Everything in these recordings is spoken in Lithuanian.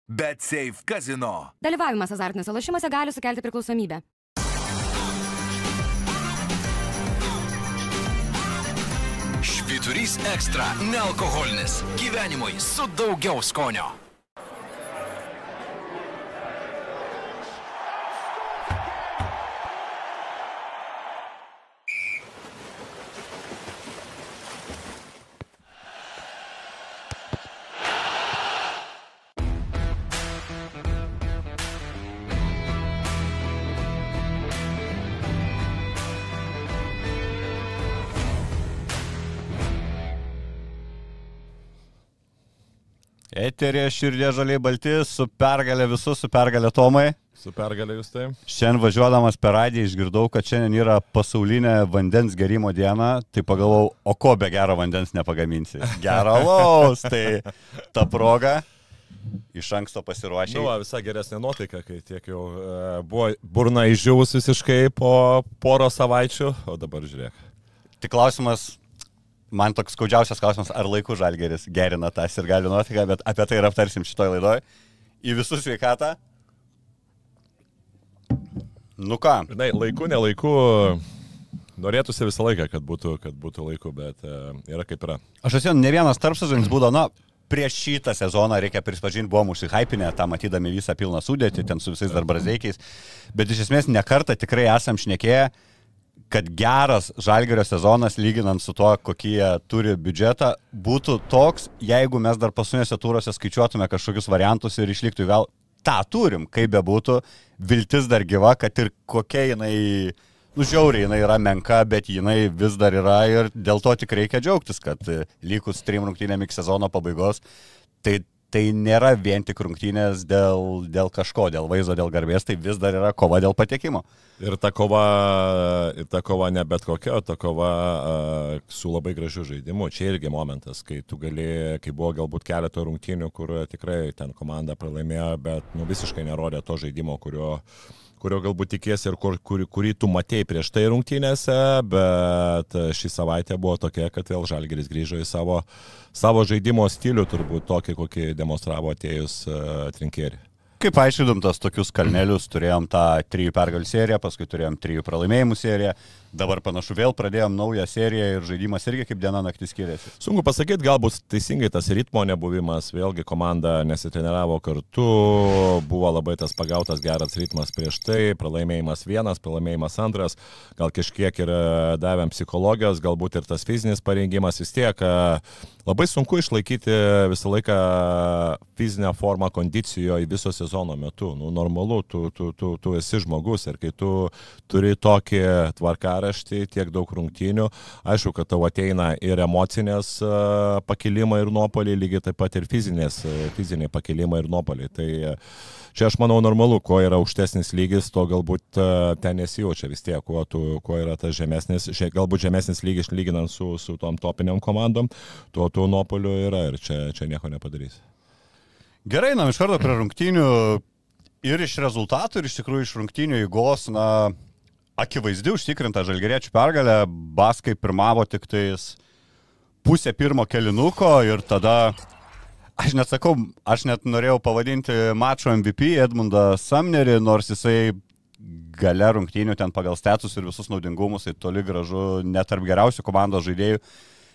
BetSafe Casino. Dalyvavimas azartiniuose lošimuose gali sukelti priklausomybę. Švyturys ekstra – nealkoholinis. Gyvenimui su daugiau skonio. Eterė širdė žaliai balti, su pergalė visus, su pergalė Tomai. Su pergalė jūs tai. Šiandien važiuodamas per radiją išgirdau, kad šiandien yra pasaulinė vandens gerimo diena, tai pagalvojau, o ko be gero vandens nepagaminsi. Gero alaus, tai ta proga iš anksto pasiruošė. Nu, visai geresnė nuotaika, kai tiek jau buvo burna išdžiūvus visiškai po poro savaičių, o dabar žiūrėk. Tik klausimas, man toks skaudžiausias klausimas, ar laiku Žalgiris gerina tą sirgalių nuotaiką, bet apie tai ir aptarsim šitoj laidoj. Į visus sveikatą. Nu ką? Žinai, laiku, nelaiku, norėtųsi visą laiką, kad būtų laiku, bet yra kaip yra. Aš esu ne vienas tarpsezonis būdavo, prieš šitą sezoną, reikia prispažinti, buvom užsihaipinę, tą matydami visą pilną sudėtį, ten su visais dar brazeikiais, bet iš esmės nekartą tikrai esam šnekėję, kad geras Žalgirio sezonas, lyginant su to, kokį jie turi biudžetą, būtų toks, jeigu mes dar paskutinėse turose skaičiuotume kažkokius variantus ir išliktų vėl. Ta turim, kaip bebūtų, viltis dar gyva, kad ir kokia jinai, žiauriai jinai yra menka, bet jinai vis dar yra ir dėl to tik reikia džiaugtis, kad likus 3 rungtynėm iki sezono pabaigos, tai nėra vien tik rungtynės dėl kažko, dėl vaizdo, dėl garbės, tai vis dar yra kova dėl patekimo. Ir ta kova ne bet kokia, ta kova su labai gražiu žaidimu. Čia irgi momentas, kai tu kai buvo galbūt keletą rungtynių, kur tikrai ten komanda pralaimėjo, bet visiškai nerodė to žaidimo, kurio galbūt tikėsi ir kurį tu matėjai prieš tai rungtynėse, bet šį savaitę buvo tokia, kad vėl Žalgiris grįžo į savo žaidimo stilių, turbūt tokį, kokį demonstravo atėjus Trinkieri. Kaip aiškidom tas tokius kalnelius, turėjom tą 3 pergalių seriją, paskui turėjom 3 pralaimėjimų seriją, dabar panašu vėl pradėjom naują seriją ir žaidimas irgi kaip diena naktis skiriasi. Sunku pasakyti, galbūt teisingai tas ritmo nebuvimas, vėlgi komanda nesitreniravo kartu, buvo labai tas pagautas geras ritmas prieš tai, pralaimėjimas 1, pralaimėjimas 2, gal kažkiek ir davėm psichologijos, galbūt ir tas fizinis parengimas, vis tiek labai sunku išlaikyti visą laiką fizinę formą kondicijoje viso sezono metu. Normalu, tu esi žmogus ir kai tu turi tokį tvarkaraštį, tiek daug rungtynių, aišku, kad tau ateina ir emocinės pakilimai ir nuopuoliai, lygiai taip pat ir fiziniai pakilimai ir nuopuoliai. Tai čia aš manau normalu, kuo yra aukštesnis lygis, to galbūt ten nesijaučia vis tiek, kuo yra tas žemesnis, galbūt žemesnis lygis lyginant su tom topiniam komandom, tuo nuopuolių yra ir čia nieko nepadarys. Gerai, iš karto prie rungtynių ir iš rezultatų, ir iš tikrųjų iš rungtynių eigos, akivaizdi užtikrinta žalgiriečių pergalė, baskai pirmavo tik tais pusę pirmo kėlinuko ir tada, aš net norėjau pavadinti mačo MVP Edmundą Sumnerį, nors jisai gale rungtynių ten pagal status ir visus naudingumus, tai toli gražu net tarp geriausių komandos žaidėjų.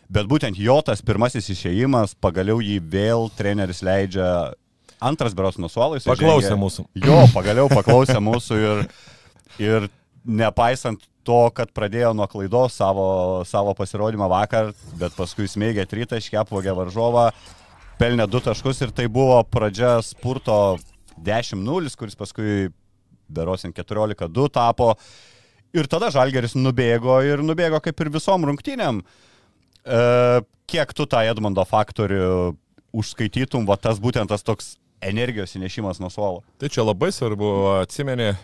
Bet būtent jo tas pirmasis išėjimas, pagaliau jį vėl treneris leidžia antras beros nuo suolo. Paklausė mūsų. Jo, pagaliau paklausė mūsų ir nepaisant to, kad pradėjo nuo klaidos savo pasirodymą vakar, bet paskui smėgė tritaškį, apvogė varžovą, pelnė 2 taškus ir tai buvo pradžia spurto 10-0, kuris paskui berosin 14-2 tapo. Ir tada Žalgiris nubėgo kaip ir visom rungtynėm. Kiek tu tą Edmundo faktorių užskaitytum, tas būtent tas toks energijos įnešimas nuo suolo? Tai čia labai svarbu, atsimeni,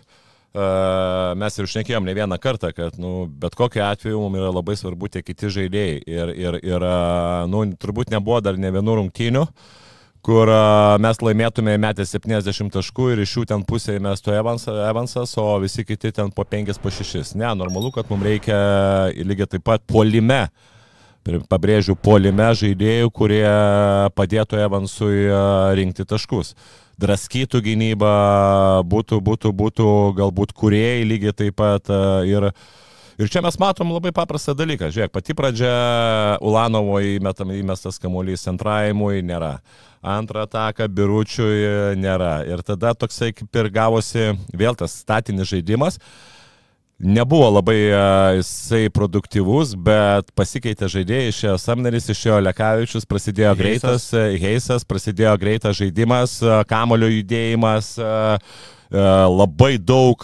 mes ir šnekėjom ne vieną kartą, kad bet kokiu atveju mums yra labai svarbu tie kiti žaidėjai. Ir turbūt nebuvo dar ne vienų rungtynių, kur mes laimėtume metę 70 taškų ir iš jų ten pusėje mestų Evansas, o visi kiti ten po 5, po 6. Ne, normalu, kad mums reikia lygiai taip pat puolime pabrėžiu, puolime žaidėjų, kurie padėtų Evansui rinkti taškus. Draskytų gynybą, būtų galbūt kūrėjai lygiai taip pat. Ir čia mes matom labai paprastą dalyką. Žiūrėk, pati pradžia Ulanovo įmestas kamuolys antrajimui nėra. Antrą ataką Biručiui nėra. Ir tada toksai kaip ir gavosi vėl tas statinis žaidimas. Nebuvo labai jisai produktyvus, bet pasikeitė žaidėjai, išėjo Samneris, išėjo Lekavičius, prasidėjo greitas Heisas, prasidėjo greitas žaidimas, kamulio judėjimas, labai daug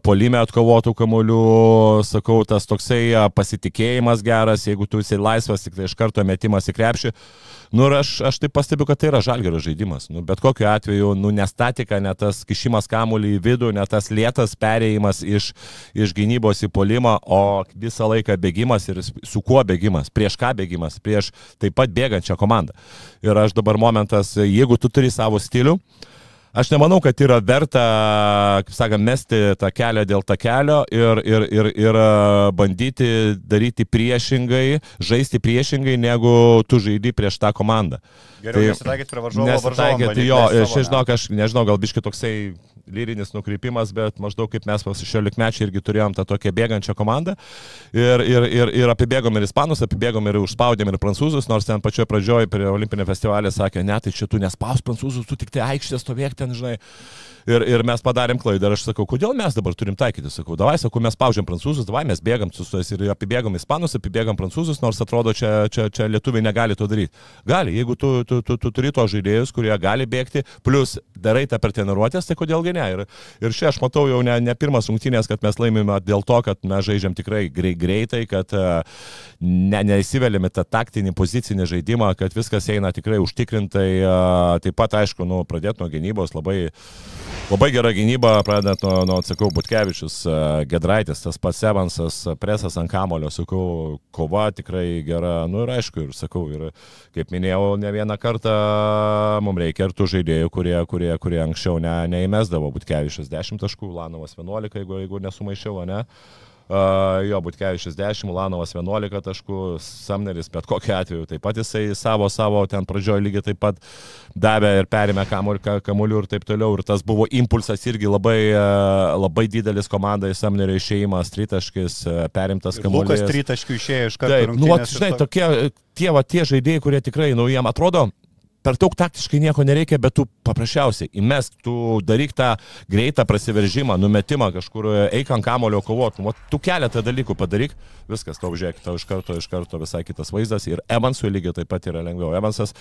puolime atkovotų kamuolių, sakau, tas toksai pasitikėjimas geras, jeigu tu esi laisvas, tik tai iš karto metimas į krepšį. Nu ir aš taip pastebiu, kad tai yra Žalgirio žaidimas. Nu, bet kokiu atveju, ne statika, ne tas kišimas kamuolį į vidų, ne tas lėtas perėjimas iš gynybos į puolimą, o visą laiką bėgimas ir su kuo bėgimas, prieš ką bėgimas, prieš taip pat bėgančią komandą. Ir aš dabar momentas, jeigu tu turi savo stilių, aš nemanau, kad yra verta, kaip sakant, mesti tą kelią dėl tą kelio ir bandyti daryti priešingai, žaisti priešingai, negu tu žaidi prieš tą komandą. Geriau nesitaikyti prie varžovo. Nesitaikyti, jo, aš nežinau, gal biški toksai lyrinis nukreipimas, bet maždaug kaip mes 16-mečiai irgi turėjom tą tokią bėgančią komandą ir apibėgom ir ispanus, apibėgom ir užspaudėm ir prancūzus, nors ten pačioje pradžioje prie olimpinio festivalio sakė, ne, tai čia tu nespaus prancūzus, tu tik tai aikštė stovėk ten, žinai. Ir mes padarėm klaidą ir aš sakau, kodėl mes dabar turim taikyti, sakau, davai, sakau, mes spaudžiam prancūzus, davai, mes bėgam su jais ir apibėgam ispanus, apibėgam prancūzus, nors atrodo, čia lietuviai negali to daryti. Gali, jeigu tu turi to žaidėjus, kurie gali bėgti, plus darai tą per treniruotės, tai kodėlgi ne. Ir čia aš matau jau ne pirmas rungtynės, kad mes laimime dėl to, kad mes žaidžiam tikrai greitai, kad neįsiveliame tą taktinį pozicinį žaidimą, kad viskas eina tikrai užtikrintai. Taip pat, aišku, pradėti nuo gynybos labai gera gynyba, pradedant nuo sakau, Butkevičius, Gedraitis, tas pats Evansas, presas ant kamulio, sakau, kova tikrai gera, ir aišku, ir sakau, ir kaip minėjau, ne vieną kartą mums reikia ir tų žaidėjų, kurie anksčiau neįmesdavo. Butkevičius 10 taškų, Ulanovas 11, jeigu nesumaišiau, ne? Jo, Butkevičius 10, Ulanovas 11 taškų, Samneris bet kokiu atveju taip pat jisai savo ten pradžioje lygiai taip pat davė ir perėmė kamuolių ir taip toliau. Ir tas buvo impulsas irgi labai didelis komandai, Samnerio išėjimas, tritaškis, perimtas kamuolys. Lukas tritaškių išėjo iš karto. Taip, žinai, tie žaidėjai, kurie tikrai, jiem atrodo, per daug taktiškai nieko nereikia, bet tu paprasčiausiai įmesk, tu daryk tą greitą prasiveržimą, numetimą kažkur, eik ant kamulio kovot, tu keletą dalykų padaryk, viskas, tau žiūrėk, tau iš karto visai kitas vaizdas ir Evansui lygiai taip pat yra lengviau. Evansas,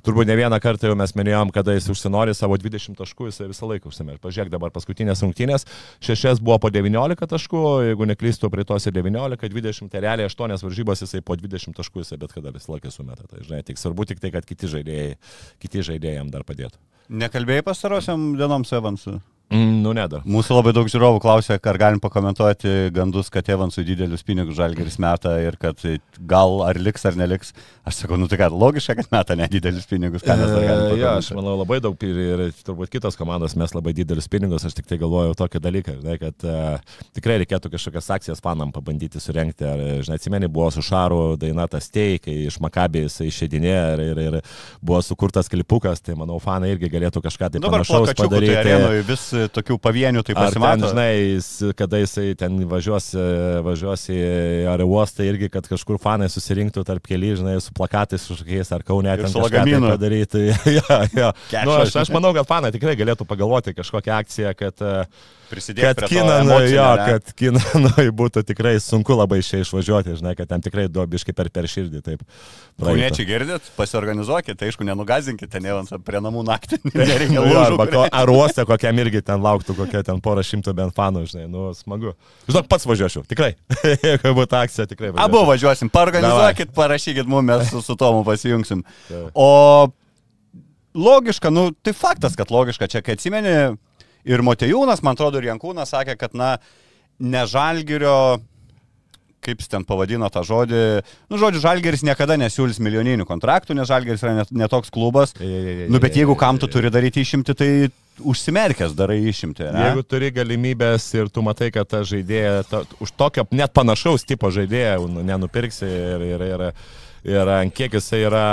turbūt ne vieną kartą jau mes minėjom, kada jis užsinori savo 20 taškų, jis visą laiką užsimerė. Pažiūrėk dabar paskutinės rungtynės, 6 buvo po 19 taškų, jeigu neklystu, prie tos 19, 20, tai realiai 8 varžybos jisai po 20 taškų, jisai bet kada visą laiką sumeta. Tai, žinai, tik svarbu tik tai, kad kiti žaidėjai jam dar padėtų. Nekalbėjai pastarosiam dienom su Evansu? Ne dar. Mūsų labai daug žiūrovų klausė, ar galim pakomentuoti gandus, kad Evansui didelius pinigus Žalgiris meta ir kad gal ar liks ar neliks. Aš sakau, tai kad logiška, kad meta nedidelius pinigus. Ką mes dar galim pakomentuoti? Aš manau labai daug ir turbūt kitos komandos mes labai didelius pinigus. Aš tik tai galvojau tokį dalyką, kad tikrai reikėtų kažkokias akcijas fanam pabandyti surenkti. Ar, žinai, atsimeni, buvo su Šaru daina tas Tei, kai iš Makabį jisai išeidinėjo ir buvo sukurtas klipukas, tai manau fanai irgi galėtų kažką tai panašaus padaryti. Tokių pavienių tai pasimato. Ar ten, žinai, kada jisai ten važiuos į aerouostą irgi, kad kažkur fanai susirinktų tarp keli, žinai, su plakatais kažkokiais, ar Kaune ten kažką tai padaryti. Aš manau, kad fanai tikrai galėtų pagalvoti kažkokią akciją, kad Kinanui būtų tikrai sunku labai iš čia išvažiuoti, žinai, kad ten tikrai duobiškai per širdį. Kauniečiai girdit, pasiorganizuokite, aišku, nenugazinkite, ten Evansą prie namų naktį. Ar uostą kokiam irgi ten lauktų, kokia ten porą šimtų bent fanų, žinai, smagu. Žinok, pats važiuočiau, tikrai. Jeigu būtų akcija, tikrai važiuočiau. Abu važiuosim, paorganizuokit, parašykit mums, mes su Tomu pasijungsim. O logiška, tai faktas, kad logiška, čia kai atsimeni, ir Motejūnas, man atrodo, ir Jankūnas sakė, kad, ne Žalgirio, kaip jis ten pavadino tą žodį, žodžiu, Žalgiris niekada nesiūlys milijoninių kontraktų, nes Žalgiris yra netoks klubas, bet jeigu kam tu turi daryti išimti, tai užsimerkęs darai išimti. Ne? Jeigu turi galimybės ir tu matai, kad ta žaidėja, už tokio net panašaus tipo žaidėją nenupirksi ir ir ant kiek jisai yra,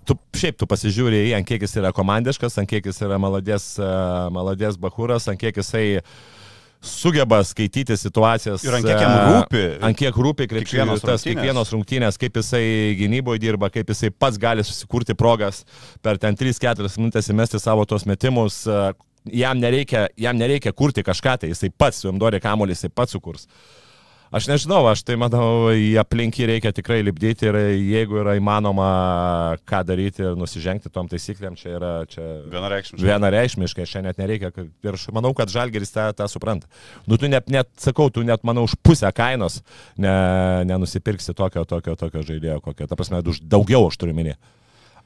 tu pasižiūrė į, ant kiek jis yra komandiškas, ant kiek jis yra maladės bahūras, ant kiek jisai sugeba skaityti situacijas. Ir ant kiek jam rūpi. Ant kiek rūpi kiekvienos rungtynės, kaip jisai gynyboje dirba, kaip jisai pats gali susikurti progas per ten 3-4 minutės įmesti savo tos metimus. Jam nereikia kurti kažką, tai jisai pats, jam duodi kamuolį, jisai pats sukurs. Aš nežinau, aš tai manau, į aplinkį reikia tikrai lipdyti ir jeigu yra įmanoma ką daryti ir nusižengti tom taisyklėm, čia yra vienareikšmiškai, čia net nereikia. Ir aš manau, kad Žalgiris tą supranta. Tu net, manau, už pusę kainos nenusipirksi tokio žaidėjo, kokio, ta prasme, daugiau aš turiu minėti.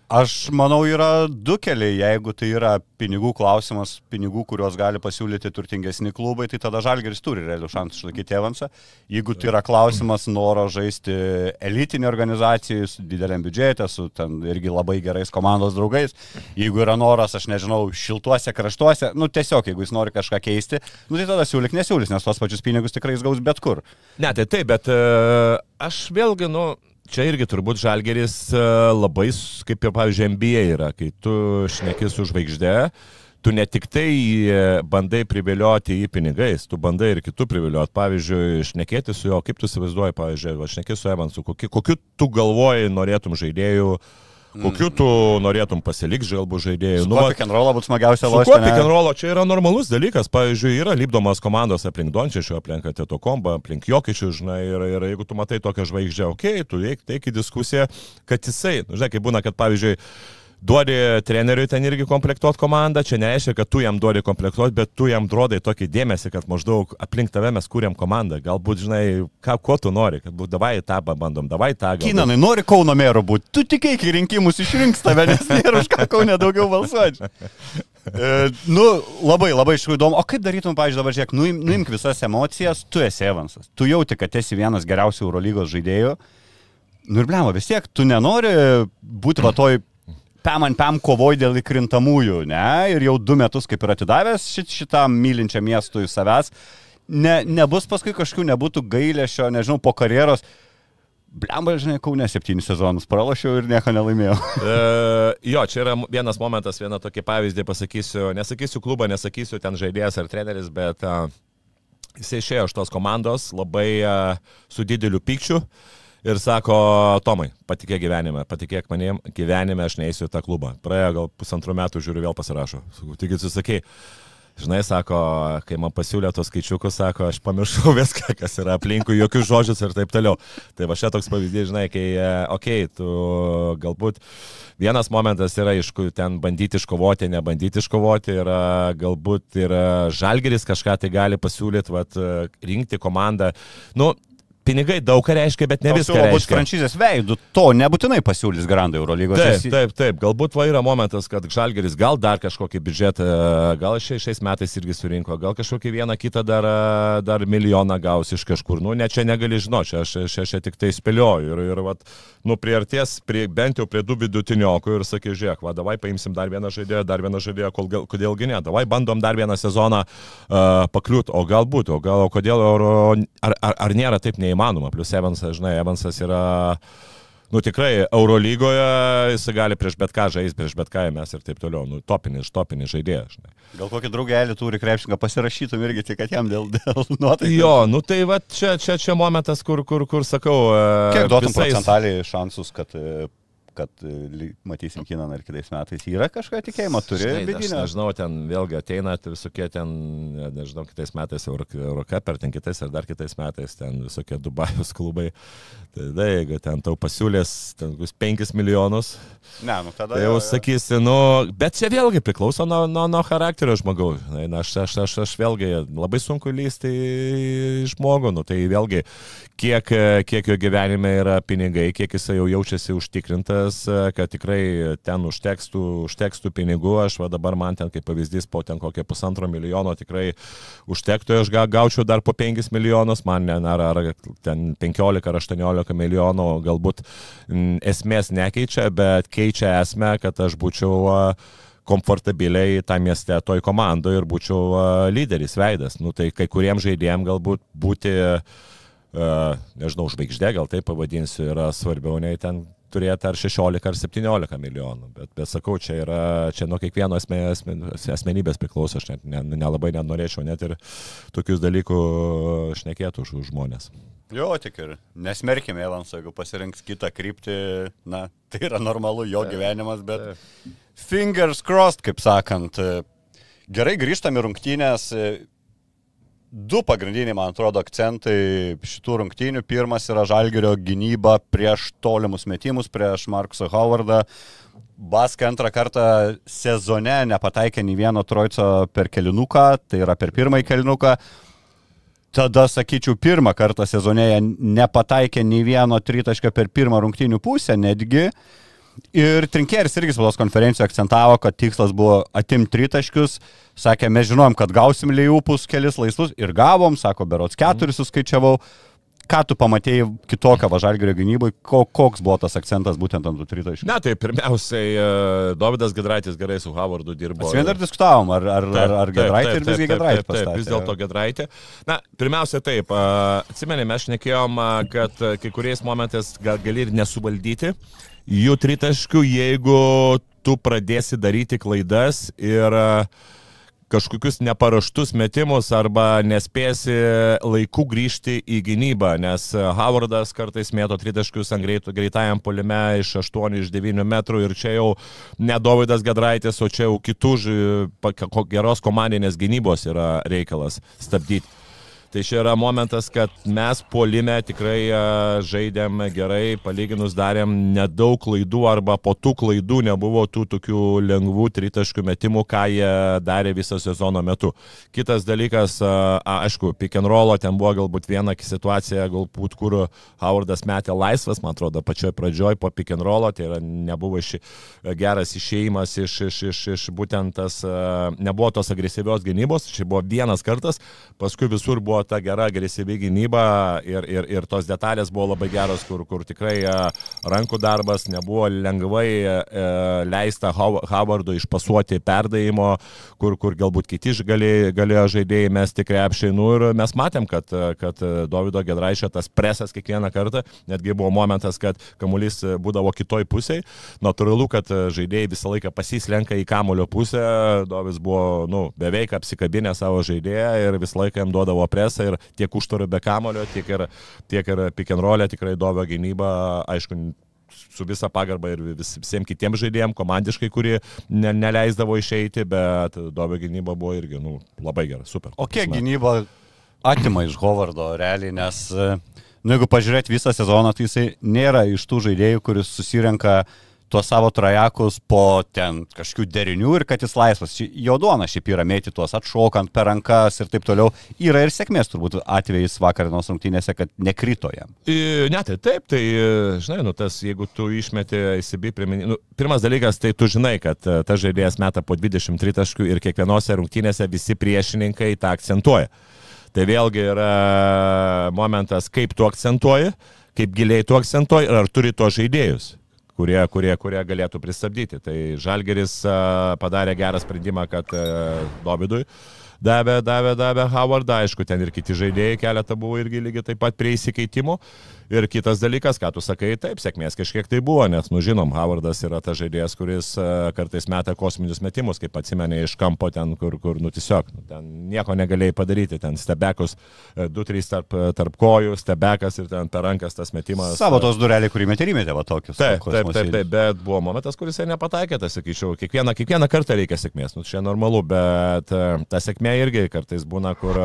Aš manau, yra du keliai. Jeigu tai yra pinigų klausimas, pinigų, kuriuos gali pasiūlyti turtingesni klubai, tai tada Žalgiris turi realių šansų išlaikyti Evansą. Jeigu tai yra klausimas noro žaisti elitinį organizacijų su dideliam biudžete, su ten irgi labai gerais komandos draugais, jeigu yra noras, aš nežinau, šiltuose kraštuose, tiesiog, jeigu jis nori kažką keisti, tai tada nesiūlys, nes tos pačius pinigus tikrai jis gaus bet kur. Ne, tai taip, bet aš vėlgi, čia irgi turbūt Žalgiris labai, kaip ir, pavyzdžiui, NBA yra, kai tu šneki su žvaigžde, tu ne tik tai bandai privilioti į pinigais, tu bandai ir kitų privilioti. Pavyzdžiui, šnekėti su juo, kaip tu įsivaizduoji, pavyzdžiui, šnekėti su Evansu, kokiu tu galvoji norėtum žaidėjų, kokiu tu norėtum pasilikti galbūt žaidėjų. Su pick and roll būtų smagiausia lošti. Su pick and roll čia yra normalus dalykas. Pavyzdžiui, yra lipdomas komandos aplink Dončičių, aplink Tetokombą, aplink Jokičių, žinai, ir jeigu tu matai tokią žvaigždę, tu teik į diskusiją, kad jisai, žinai, kaip būna, kad pavyzdžiui, duodi treneriui ten irgi komplektuoti komandą, čia nereiškia, kad tu jam duodi komplektuoti, bet tu jam duodai tokį dėmesį, kad maždaug aplink tave mes kūrėm komandą. Galbūt, žinai, ko tu nori, kad davai tą bandom, davai tą. Kinanai, nori Kauno mero būti, tu tik iki rinkimus išrinks tave, nes nėra už ką Kaune daugiau balsuoti. Labai iš tikrųjų įdomu. O kaip darytum, pavyzdžiui, dabar žiūrėk, nuimk visas emocijas, tu esi Evansas. Tu jauti, kad esi vienas geriausių Eurolygos žaidėjų. Ir blemo, vis tiek, tu nenori būti va toj pam kovoj dėl įkrintamųjų, ne? Ir jau 2 metus kaip ir atidavęs šitam mylinčiam miestui savęs. Nebus paskui kažkokių, nebūtų gailėšio, nežinau, po karjeros. Blemba, žinai, Kaune 7 sezonus pralošiau ir nieko nelaimėjau. Jo, čia yra vienas momentas, vieną tokį pavyzdį pasakysiu. Nesakysiu klubą, nesakysiu ten žaidėjas ar treneris, bet jis išėjo iš tos komandos labai su dideliu pykčiu. Ir sako, Tomai, patikėk manim, gyvenime aš neįsiu į tą klubą. Praėjo gal 1,5 metų, žiūriu, vėl pasirašo. Tik atsisakei. Žinai, sako, kai man pasiūlė tos skaičiukus, sako, aš pamiršau viską, kas yra aplinkui, jokius žodžius ir taip toliau. Tai va čia toks pavyzdys, žinai, kai, tu galbūt vienas momentas yra, ten bandyti iškovoti, nebandyti iškovoti, galbūt ir Žalgiris kažką tai gali pasiūlyti, rinkti komandą. Pinigai daug ką reiškia, bet ne viską reiškia. Galbūt franšizės veidų to nebūtinai pasiūlys Grandai Eurolygos. Taip. Galbūt yra momentas, kad Žalgiris gal dar kažkokį biudžetą, gal šiais metais irgi surinko, gal kažkokį vieną kitą dar milijoną gaus iš kažkur. Ne, čia negali žinoti, aš tik tai spėlioju. Ir priarties bent jau prie 2 vidutiniokų ir sakė, žiūrėk, davai paimsim dar vieną žaidėją, kodėlgi ne, davai bandom dar vieną sezoną pakliūti, o galbūt, kodėl, ar nėra taip neįmanoma. Plius Evansas, žinai, Evansas yra, tikrai Eurolygoje, jis gali prieš bet ką žaisti, prieš bet ką mes ir taip toliau, topinis žaidėjas, žinai. Gal kokį draugelį turi krepšininką pasirašytum irgi tik, kad jam dėl nuotaikos. Jo, tai va čia momentas, kur sakau. Kiek duotum procentaliai šansus, kad matysim Kinaną ir kitais metais. Yra kažką tikėjimo, turi vidinio? Aš nežinau, ten vėlgi ateina visokie ten, nežinau, kitais metais Eurocup, ten kitais ar dar kitais metais, ten visokie Dubajus klubai. Tai jeigu ten tau pasiūlės 5 milijonus, tada tai jau sakysi, bet čia vėlgi priklauso nuo charakterio žmogaus. Aš vėlgi labai sunku lysti į žmogų, tai vėlgi kiek jo gyvenime yra pinigai, kiek jis jau jaučiasi užtikrintas, kad tikrai ten užtekstų pinigų. Aš dabar man ten kaip pavyzdys po ten kokie 1,5 milijono tikrai užtektų, aš gaučiau dar po 5 milijonus, man ar ten 15 ar 18 milijonų galbūt esmės nekeičia, bet keičia esmę, kad aš būčiau komfortabiliai tą mieste toj komandoje ir būčiau lyderis, veidas. Tai kai kuriems žaidėjams galbūt būti nežinau, žvaigždė, gal taip pavadinsiu, yra svarbiau nei ten turėti ar 16 ar 17 milijonų. Bet sakau, čia nuo kiekvieno asmenybės priklauso, aš nelabai norėčiau net ir tokius dalykų šnekėti už žmonės. Jo, tik ir nesmerkime Evanso, jeigu pasirinks kitą kryptį, na, tai yra normalu jo gyvenimas, bet fingers crossed, kaip sakant. Gerai, grįžtam į rungtynės. Du pagrindiniai, man atrodo, akcentai šitų rungtynių. Pirmas yra Žalgirio gynyba prieš tolimus metimus, prieš Markusą Howardą. Baska antrą kartą sezone nepataikė nei vieno trojco per kelinuką, tai yra per pirmąjį kelinuką. Tada, sakyčiau, pirmą kartą sezonėje nepataikė nei vieno tritaškio per pirmą rungtynių pusę netgi. Ir Trinkėris irgi spaudos konferencijoje akcentavo, kad tikslas buvo atimti tritaškius. Sakė, mes žinom, kad gausim Liupus kelis laisvus ir gavom, sako, berods 4 suskaičiavau. Ką tu pamatėjai kitokią Žalgirio gynybai, koks buvo tas akcentas būtent ant tų tritaškių? Na, tai pirmiausiai Dovydas Giedraitis gerai su Howardu dirbo. Mes vien dar diskutavom, ar Giedraitį ir visgi Giedraitį pastatė. Taip, vis dėlto Giedraitį. Na, pirmiausia taip, atsimenėme, mes šnekėjom, kad kai kuriais momentais gali ir nesuvaldyti jų tritaškių, jeigu tu pradėsi daryti klaidas ir kažkokius neparaštus metimus arba nespėsi laiku grįžti į gynybą, nes Howardas kartais mėto tritaškius ant greitajam puolime iš 8, iš 9 metrų ir čia jau ne Dovydas Giedraitis, o čia jau kitų geros komandinės gynybos yra reikalas stabdyti. Tai čia yra momentas, kad mes puolime tikrai žaidėm gerai, palyginus darėm nedaug klaidų arba po tų klaidų nebuvo tų tokių lengvų tritaškių metimų, ką jie darė visą sezono metu. Kitas dalykas, aišku, pick and rollo, ten buvo galbūt viena situacija, galbūt kur Howardas metė laisvas, man atrodo, pačioj pradžioj po pick and rollo, tai yra nebuvo geras išėjimas iš būtent tas, nebuvo tos agresyvios gynybos, čia buvo vienas kartas, paskui visur buvo ta gera agresyvi gynyba ir tos detalės buvo labai geros, kur tikrai rankų darbas nebuvo lengvai leista Howardui išpasuoti perdavimo, kur galbūt kiti galėjo žaidėjai mesti krepšį. Ir mes matėm, kad Dovydo Giedraičio tas presas kiekvieną kartą, netgi buvo momentas, kad kamuolys būdavo kitoj pusėje. Natūralu, kad žaidėjai visą laiką pasislenka į kamulio pusę, Dovis buvo beveik apsikabinę savo žaidėją ir visą laiką jam duodavo presą ir tiek užtvarų be kamulio, tiek ir pick and roll'e tikrai Dovio gynyba, aišku, su visa pagarba ir visiems kitiems žaidėjams komandiškai, kurie neleisdavo išeiti, bet Dovio gynyba buvo irgi labai gera, super. O kiek gynyba atima iš Howardo realiai, nes jeigu pažiūrėti visą sezoną, tai jisai nėra iš tų žaidėjų, kuris susirenka tuos savo trajakus po ten kažkokių derinių ir kad jis laisvas. Jo duona šiaip yra mėti tuos atšokant per rankas ir taip toliau. Yra ir sėkmės turbūt atvejais vakarinos rungtynėse, kad nekrito jam. Ne, tai taip, tai žinai, tas jeigu tu išmeti ICB priminį, pirmas dalykas, tai tu žinai, kad tas žaidėjas meta po 23 taškų ir kiekvienose rungtynėse visi priešininkai tą akcentuoja. Tai vėlgi yra momentas, kaip tu akcentuoji, kaip giliai tu akcentuoji ir ar turi to žaidėjus, kurie galėtų pristabdyti. Tai Žalgiris padarė gerą sprendimą, kad Dovydui davė Howardą, aišku, ten ir kiti žaidėjai keletą buvo irgi lygiai taip pat prie įsikeitimų. Ir kitas dalykas, ką tu sakai, taip, sėkmės kažkiek tai buvo, nes, žinom, Howardas yra tas žaidėjas, kuris kartais meta kosminius metimus, kaip atsimenė iš kampo ten, kur tiesiog, ten nieko negalėjai padaryti, ten stebekus 2-3 tarp kojų, stebekas ir ten per rankas tas metimas. Savo tos dureliai, kurį metė, va tokius. Taip, bet buvo momentas, kuris nepataikė, tai sakyčiau, kiekvieną kartą reikia sėkmės, čia normalu, bet ta sėkmė irgi kartais būna, kur,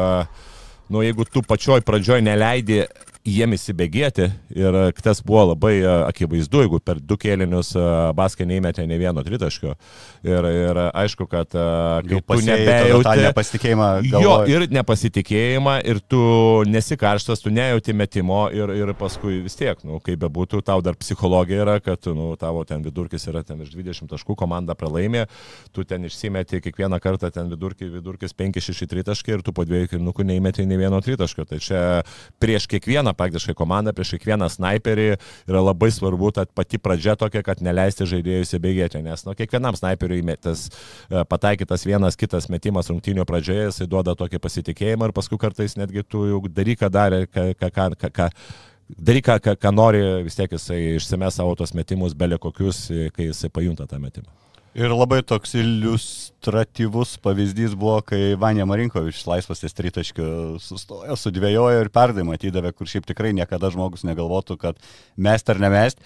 jeigu tu pačioj pradžioj neleidi jiem įsibėgėti ir tas buvo labai akivaizdu, jeigu per 2 kėlinius Baska neįmetė nei vieno tritaškio ir aišku, kad kai tu nebejauti nepasitikėjimą galvoje. Jo, ir nepasitikėjimą ir tu nesi karštas, tu nejauti metimo ir paskui vis tiek, kaip bebūtų, tau dar psichologija yra, kad tavo ten vidurkis yra ten virš 20 taškų, komanda pralaimė, tu ten išsimeti kiekvieną kartą ten vidurkis 5-6 tritaškai ir tu po 2 kėlinukų neįmetė nei vieno tritaškio. Tai čia prieš kiekvieną kiekvieną praktiškai komandą, prieš kiekvieną sniperį yra labai svarbu ta pati pradžia tokia, kad neleisti žaidėjui įsibėgėti, nes kiekvienam sniperiui pataikytas vienas kitas metimas rungtynių pradžioje, jisai duoda tokį pasitikėjimą ir paskui kartais netgi tu jau daryk, ką darė, daryk, ką nori, vis tiek jisai išsime savo tos metimus belė kokius, kai jisai pajunta tą metimą. Ir labai toks iliustratyvus pavyzdys buvo, kai Vanja Marinkovičius laisvas ties tritaškiu sustojo, sudvėjojo ir perdavimą atidavė, kur šiaip tikrai niekada žmogus negalvotų, kad mest ar nemest.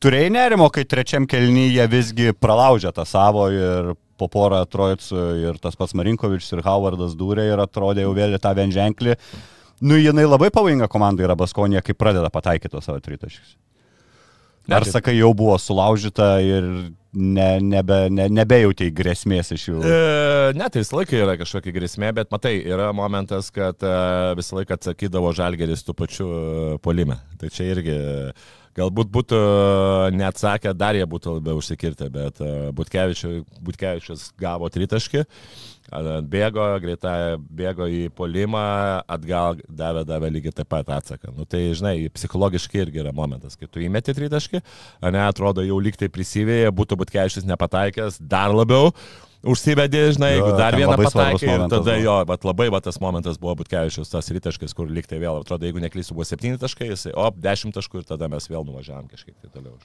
Turėjai nerimo, kai trečiam kėlinyje visgi pralaužė tą savo ir po porą Trojicų ir tas pats Marinkovičius ir Howardas dūrė ir atrodė jau vėl tą vienženklį. Jinai labai pavojinga komanda yra Baskonija, kai pradeda pataikyti savo tritaškius. Ar sakai, jau buvo sulaužyta ir nebejautai grėsmės iš jų? Ne, tai visą laiką yra kažkokia grėsmė, bet matai, yra momentas, kad visą laiką atsakydavo Žalgiris tų pačių puolime. Tai čia irgi galbūt būtų neatsakę, dar jie būtų labiau užsikirtę, bet Butkevičius gavo tritaškį, bėgo į puolimą, atgal davė lygiai taip pat atsaką. Tai, žinai, psichologiškai irgi yra momentas, kai tu įmeti tritaškį, atrodo jau lyg tai prisivėja, būtų Butkevičius nepataikęs, dar labiau užsivedė, žinai, jeigu dar vieną pataikė ir tada jo, bet labai tas momentas buvo Butkevičius, tas tritaškis, kur lyg tai vėl, atrodo, jeigu neklysiu, buvo 7 taškai, jisai, 10 taškų ir tada mes vėl nuvažiavam kažkiek tai toliau.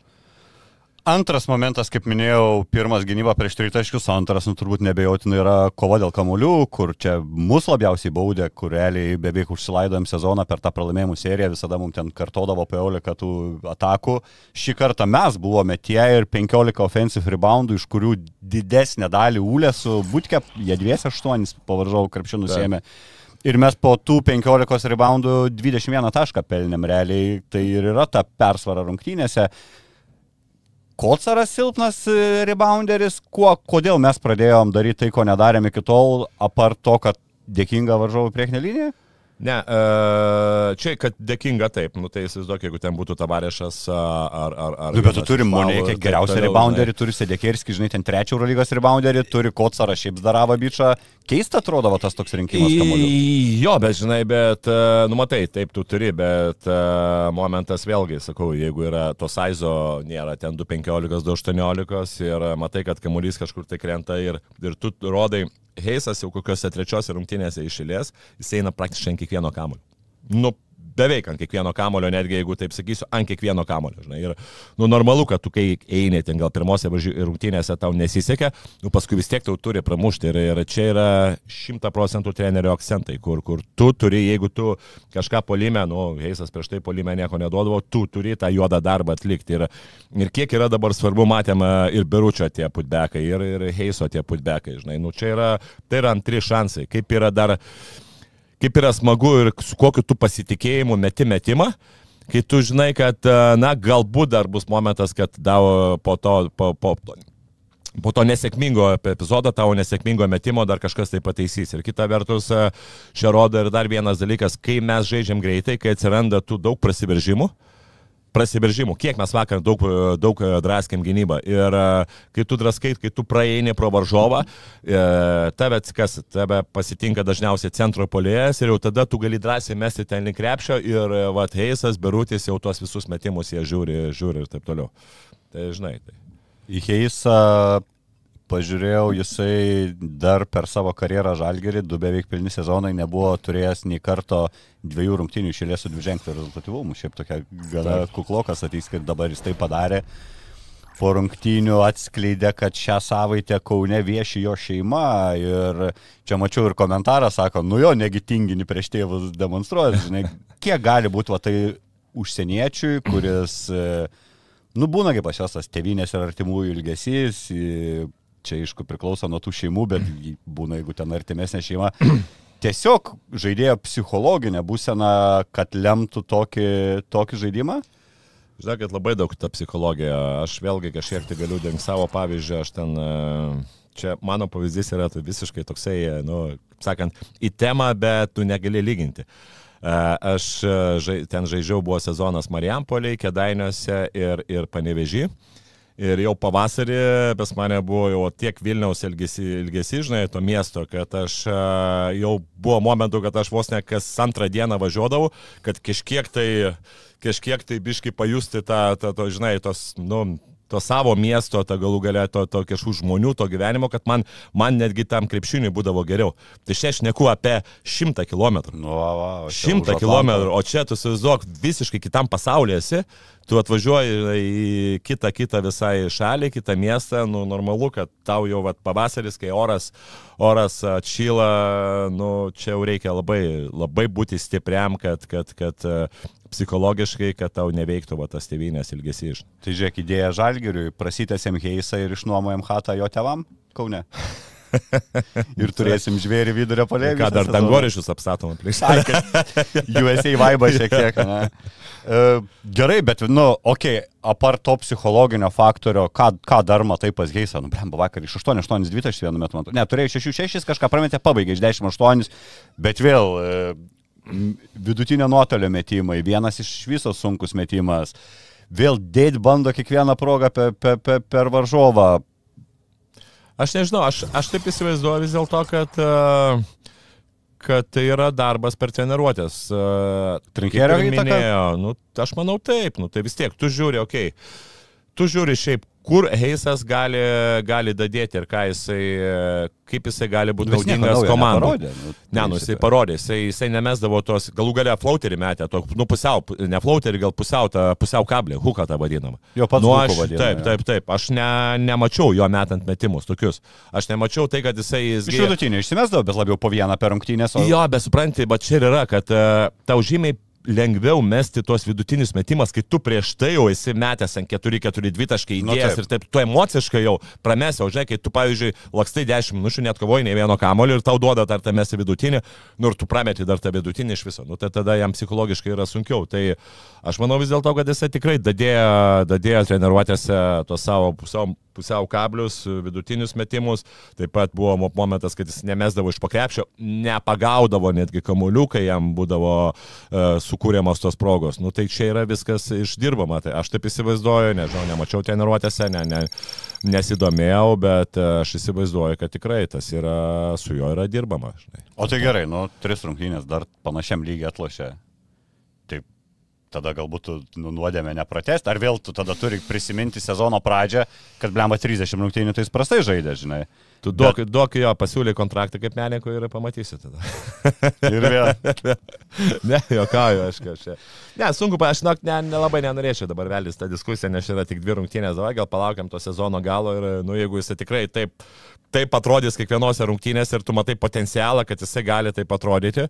Antras momentas, kaip minėjau, pirmas gynyba prieš tritaškius, antras, turbūt nebejotinai yra kova dėl kamuolių, kur čia mūsų labiausiai baudė, kur realiai beveik užsilaidojom sezoną per tą pralaimėjimų seriją, visada mums ten kartodavo po 11 tų atakų. Šį kartą mes buvome tie ir 15 offensive reboundų, iš kurių didesnę dalį Ūlė su Butke, jie 2-8 pavaržovų krepšių nusėmė. Ir mes po tų 15 reboundų 21 tašką pelnėm realiai, tai ir yra ta persvara rungtynėse. Kocaras silpnas rebounderis, kodėl mes pradėjom daryti tai, ko nedarėm iki tol, apart to, kad dėkinga varžovų priekinė linija? Ne, čia, kad dėkinga taip, tai įsivaizduok, jeigu ten būtų Tavarešas ar... Bet tu turi Monėkę, geriausią rebounderį, turi Sedekerskį, žinai, ten 3 Eurolygos rebounderį, turi Kocarą, šiaip Zdaravą bičą. Keista atrodo tas toks rinkimas kamuolių. Jo, bet žinai, matai, taip tu turi, bet momentas vėlgi, sakau, jeigu yra to saizo, nėra ten 2.15, 2.18 ir matai, kad kamuolys kažkur tai krenta ir tu rodai, Heisas jau kokiuose trečiose rungtynėse išėlės, jis eina praktiškai ant kiekvieno kamulio. Beveik ant kiekvieno kamulio, netgi jeigu taip sakysiu, ant kiekvieno kamulio. Žinai. Ir normalu, kad tu kai eini ten gal pirmose rungtynėse tau nesisekė, paskui vis tiek tau turi pramušti. Ir čia yra 100% trenerio akcentai, kur tu turi, jeigu tu kažką puolime, Heisas prieš tai puolime nieko neduodavo, tu turi tą juodą darbą atlikti. Ir kiek yra dabar svarbu, matėm ir Beručio tie putbekai, ir Heiso tie putbekai. Žinai. Tai yra antri šansai. Kaip yra smagu ir su kokiu tu pasitikėjimu metimą, kai tu žinai, kad, galbūt dar bus momentas, kad po to nesėkmingo epizodo, tavo nesėkmingo metimo dar kažkas tai pataisys. Ir kita vertus, čia rodo ir dar vienas dalykas, kai mes žaidžiam greitai, kai atsiranda tų daug prasiveržimų, kiek mes vakar daug draskėm gynybą. Ir kai tu draskai, kai tu praeini pro varžovą, tave pasitinka dažniausiai centro puolėjas ir jau tada tu gali drąsiai mesti ten link krepšio ir Heisas, Berutis jau tuos visus metimus jie žiūri ir taip toliau. Tai žinai. Tai. Į Heisą pažiūrėjau, jisai dar per savo karjerą Žalgirį, 2 beveik pilni sezonai, nebuvo turėjęs nei karto 2 rungtynių išėlės su dviženkliu rezultatyvumu. Šiaip tokia gana kuklokas atys, kad dabar jis tai padarė. Po rungtynių atskleidė, kad šią savaitę Kaune vieši jo šeima ir čia mačiau ir komentarą, sako, negi tinginį prieš tėvus demonstruoja. Žinai, kiek gali būti tai užsieniečiui, kuris, būna kaip pas jos tas tėvynės ir artimųjų ilgesys, čia aišku priklauso nuo tų šeimų, bet būna, jeigu ten artimesnė šeima. Tiesiog žaidėjo psichologinė būsena, kad lemtų tokį žaidimą? Žinai, kad labai daug ta psichologija. Aš vėlgi kažkiek tai galiu dengti savo pavyzdžių. Aš ten, čia mano pavyzdys yra visiškai toksai, sakant, į temą, bet tu negali lyginti. Aš ten žaidžiau, buvo sezonas Marijampolėje, Kėdainiuose ir Panevėžy. Ir jau pavasarį pas mane buvo jau tiek Vilniaus ilgesi, žinai, to miesto, kad aš jau buvo momentų, kad aš vos ne kas antrą dieną važiuodavau, kad kažkiek tai biškai pajusti to, žinai, to savo miesto, to galų galę, to kažkokių žmonių, to gyvenimo, kad man netgi tam krepšiniui būdavo geriau. Tai čia aš neku apie 100 kilometrų. 100 kilometrų, o čia tu įsivaizduok visiškai kitam pasaulyje esi, tu atvažiuoji į kitą visai šalį, kitą miestą, normalu, kad tau jau pavasaris, kai oras atšyla, čia jau reikia labai būti stipriam, kad psichologiškai, kad tau neveiktų tas tėvynės ilgesys. Tai žiūrėk, idėja Žalgiriui, prasitėsim Heisą ir išnuomojam chatą jo tėvam Kaune. Ir turėsim žvėrį vidurio polė. Ką dar dangorišius apstatom aplink. USA vaibą šiek tiek, ne? Gerai, bet, apart to psichologinio faktorio, ką dar matai pas Heisą? Vakar iš 8-8-2 vienu metu. Ne, turėjai 6-6, kažką prametė, pabaigė iš 10-8, bet vėl vidutinio nuotolio metimai, vienas iš viso sunkus metimas, vėl dėt bando kiekvieną progą per varžovą. Aš nežinau, aš taip įsivaizduoju vis dėlto, kad tai yra darbas per treniruotės. Trinkerio įtaka? Aš manau taip, tai vis tiek, tu žiūri šiaip, kur Heisas gali dadėti ir kaip jisai gali būti naudingas komandai. Jisai parodė, jisai nemesdavo tos, galų galia flauterį metė, ne flauterį, gal pusiau kablį, huką tą vadinamą. Jo pats huką vadinamą. Taip, aš nemačiau jo metant metimus tokius. Aš nemačiau tai, kad jisai... Iš vidutinio išsimesdavo, bet labiau po vieną per rungtynės. Jo, bet supranti, bet čia ir yra, kad tau žymiai lengviau mesti tuos vidutinius metimas, kai tu prieš tai jau esi metęs ant 4-4-2 taškai įdėjęs ir taip, tu emociškai jau pramesi, o žinai, kai tu, pavyzdžiui, lakstai 10 minučių, net kovoji nei vieno kamolio ir tau duoda dar tą mesti vidutinį, ir tu prameti dar tą vidutinį iš viso, tai tada jam psichologiškai yra sunkiau. Tai aš manau vis dėlto, kad jisai tikrai dadėjo treniruotėse tos savo pusiau kablius, vidutinius metimus, taip pat buvo momentas, kad jis nemesdavo iš pakrepšio, nepagaudavo netgi kamuolių, kai jam būdavo sukūriamos tos progos. Tai čia yra viskas išdirbama. Tai aš taip įsivaizduoju, nežinau, nemačiau treniruotėse, nesidomėjau, bet aš įsivaizduoju, kad tikrai tas yra, su juo yra dirbama. Žinai. O tai gerai, 3 rungtynės dar panašiam lygiai atlošė. Taip, tada galbūt tu nuodėmė nepratest, ar vėl tu tada turi prisiminti sezono pradžią, kad blemba 30 rungtynių, tai jis prastai žaidė, žinai. Tu duok jo, pasiūlė kontraktą kaip menininkui ir pamatysi tada. Ir vėl. Ne, jokauju, aš kažkaip. Ne, sunku, aš nelabai nenorėčiau dabar veltis tą diskusiją, nes yra tik 2 rungtynės, gal palaukiam to sezono galo ir, jeigu jisai tikrai taip atrodys kiekvienose rungtynėse ir tu matai potencialą, kad jisai gali taip atrodyti.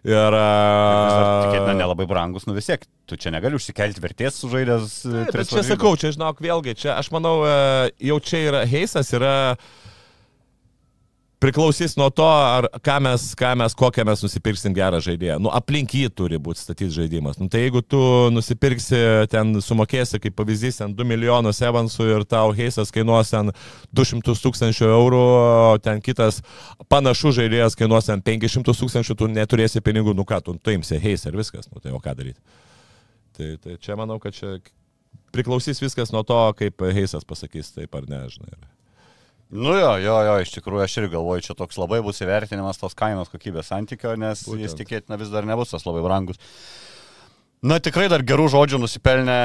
Ir tikėtina nelabai brangus, vis tiek, tu čia negali užsikelti vertės sužaidęs. Bet čia sakau, čia žinok, vėlgi, čia aš manau, jau čia yra Heisas, priklausys nuo to, ar kokią mes nusipirksim gerą žaidėją. Aplink jį turi būti statyti žaidimas. Tai jeigu tu nusipirksi, ten sumokėsi, kaip pavyzdys, 2 milijonus evansų ir tau Heisas kainuos 200 000 eurų, ten kitas panašus žaidėjas kainuos 500 000, tu neturėsi pinigų, tu imsi Heisą ir viskas, tai o ką daryti. Tai čia manau, kad čia priklausys viskas nuo to, kaip Heisas pasakys, taip ar ne, žinai. Jo, iš tikrųjų aš ir galvoju, čia toks labai bus įvertinimas tos kainos kokybės santykio, nes jis tikėtina vis dar nebus tas labai brangus. Tikrai dar gerų žodžių nusipelnė,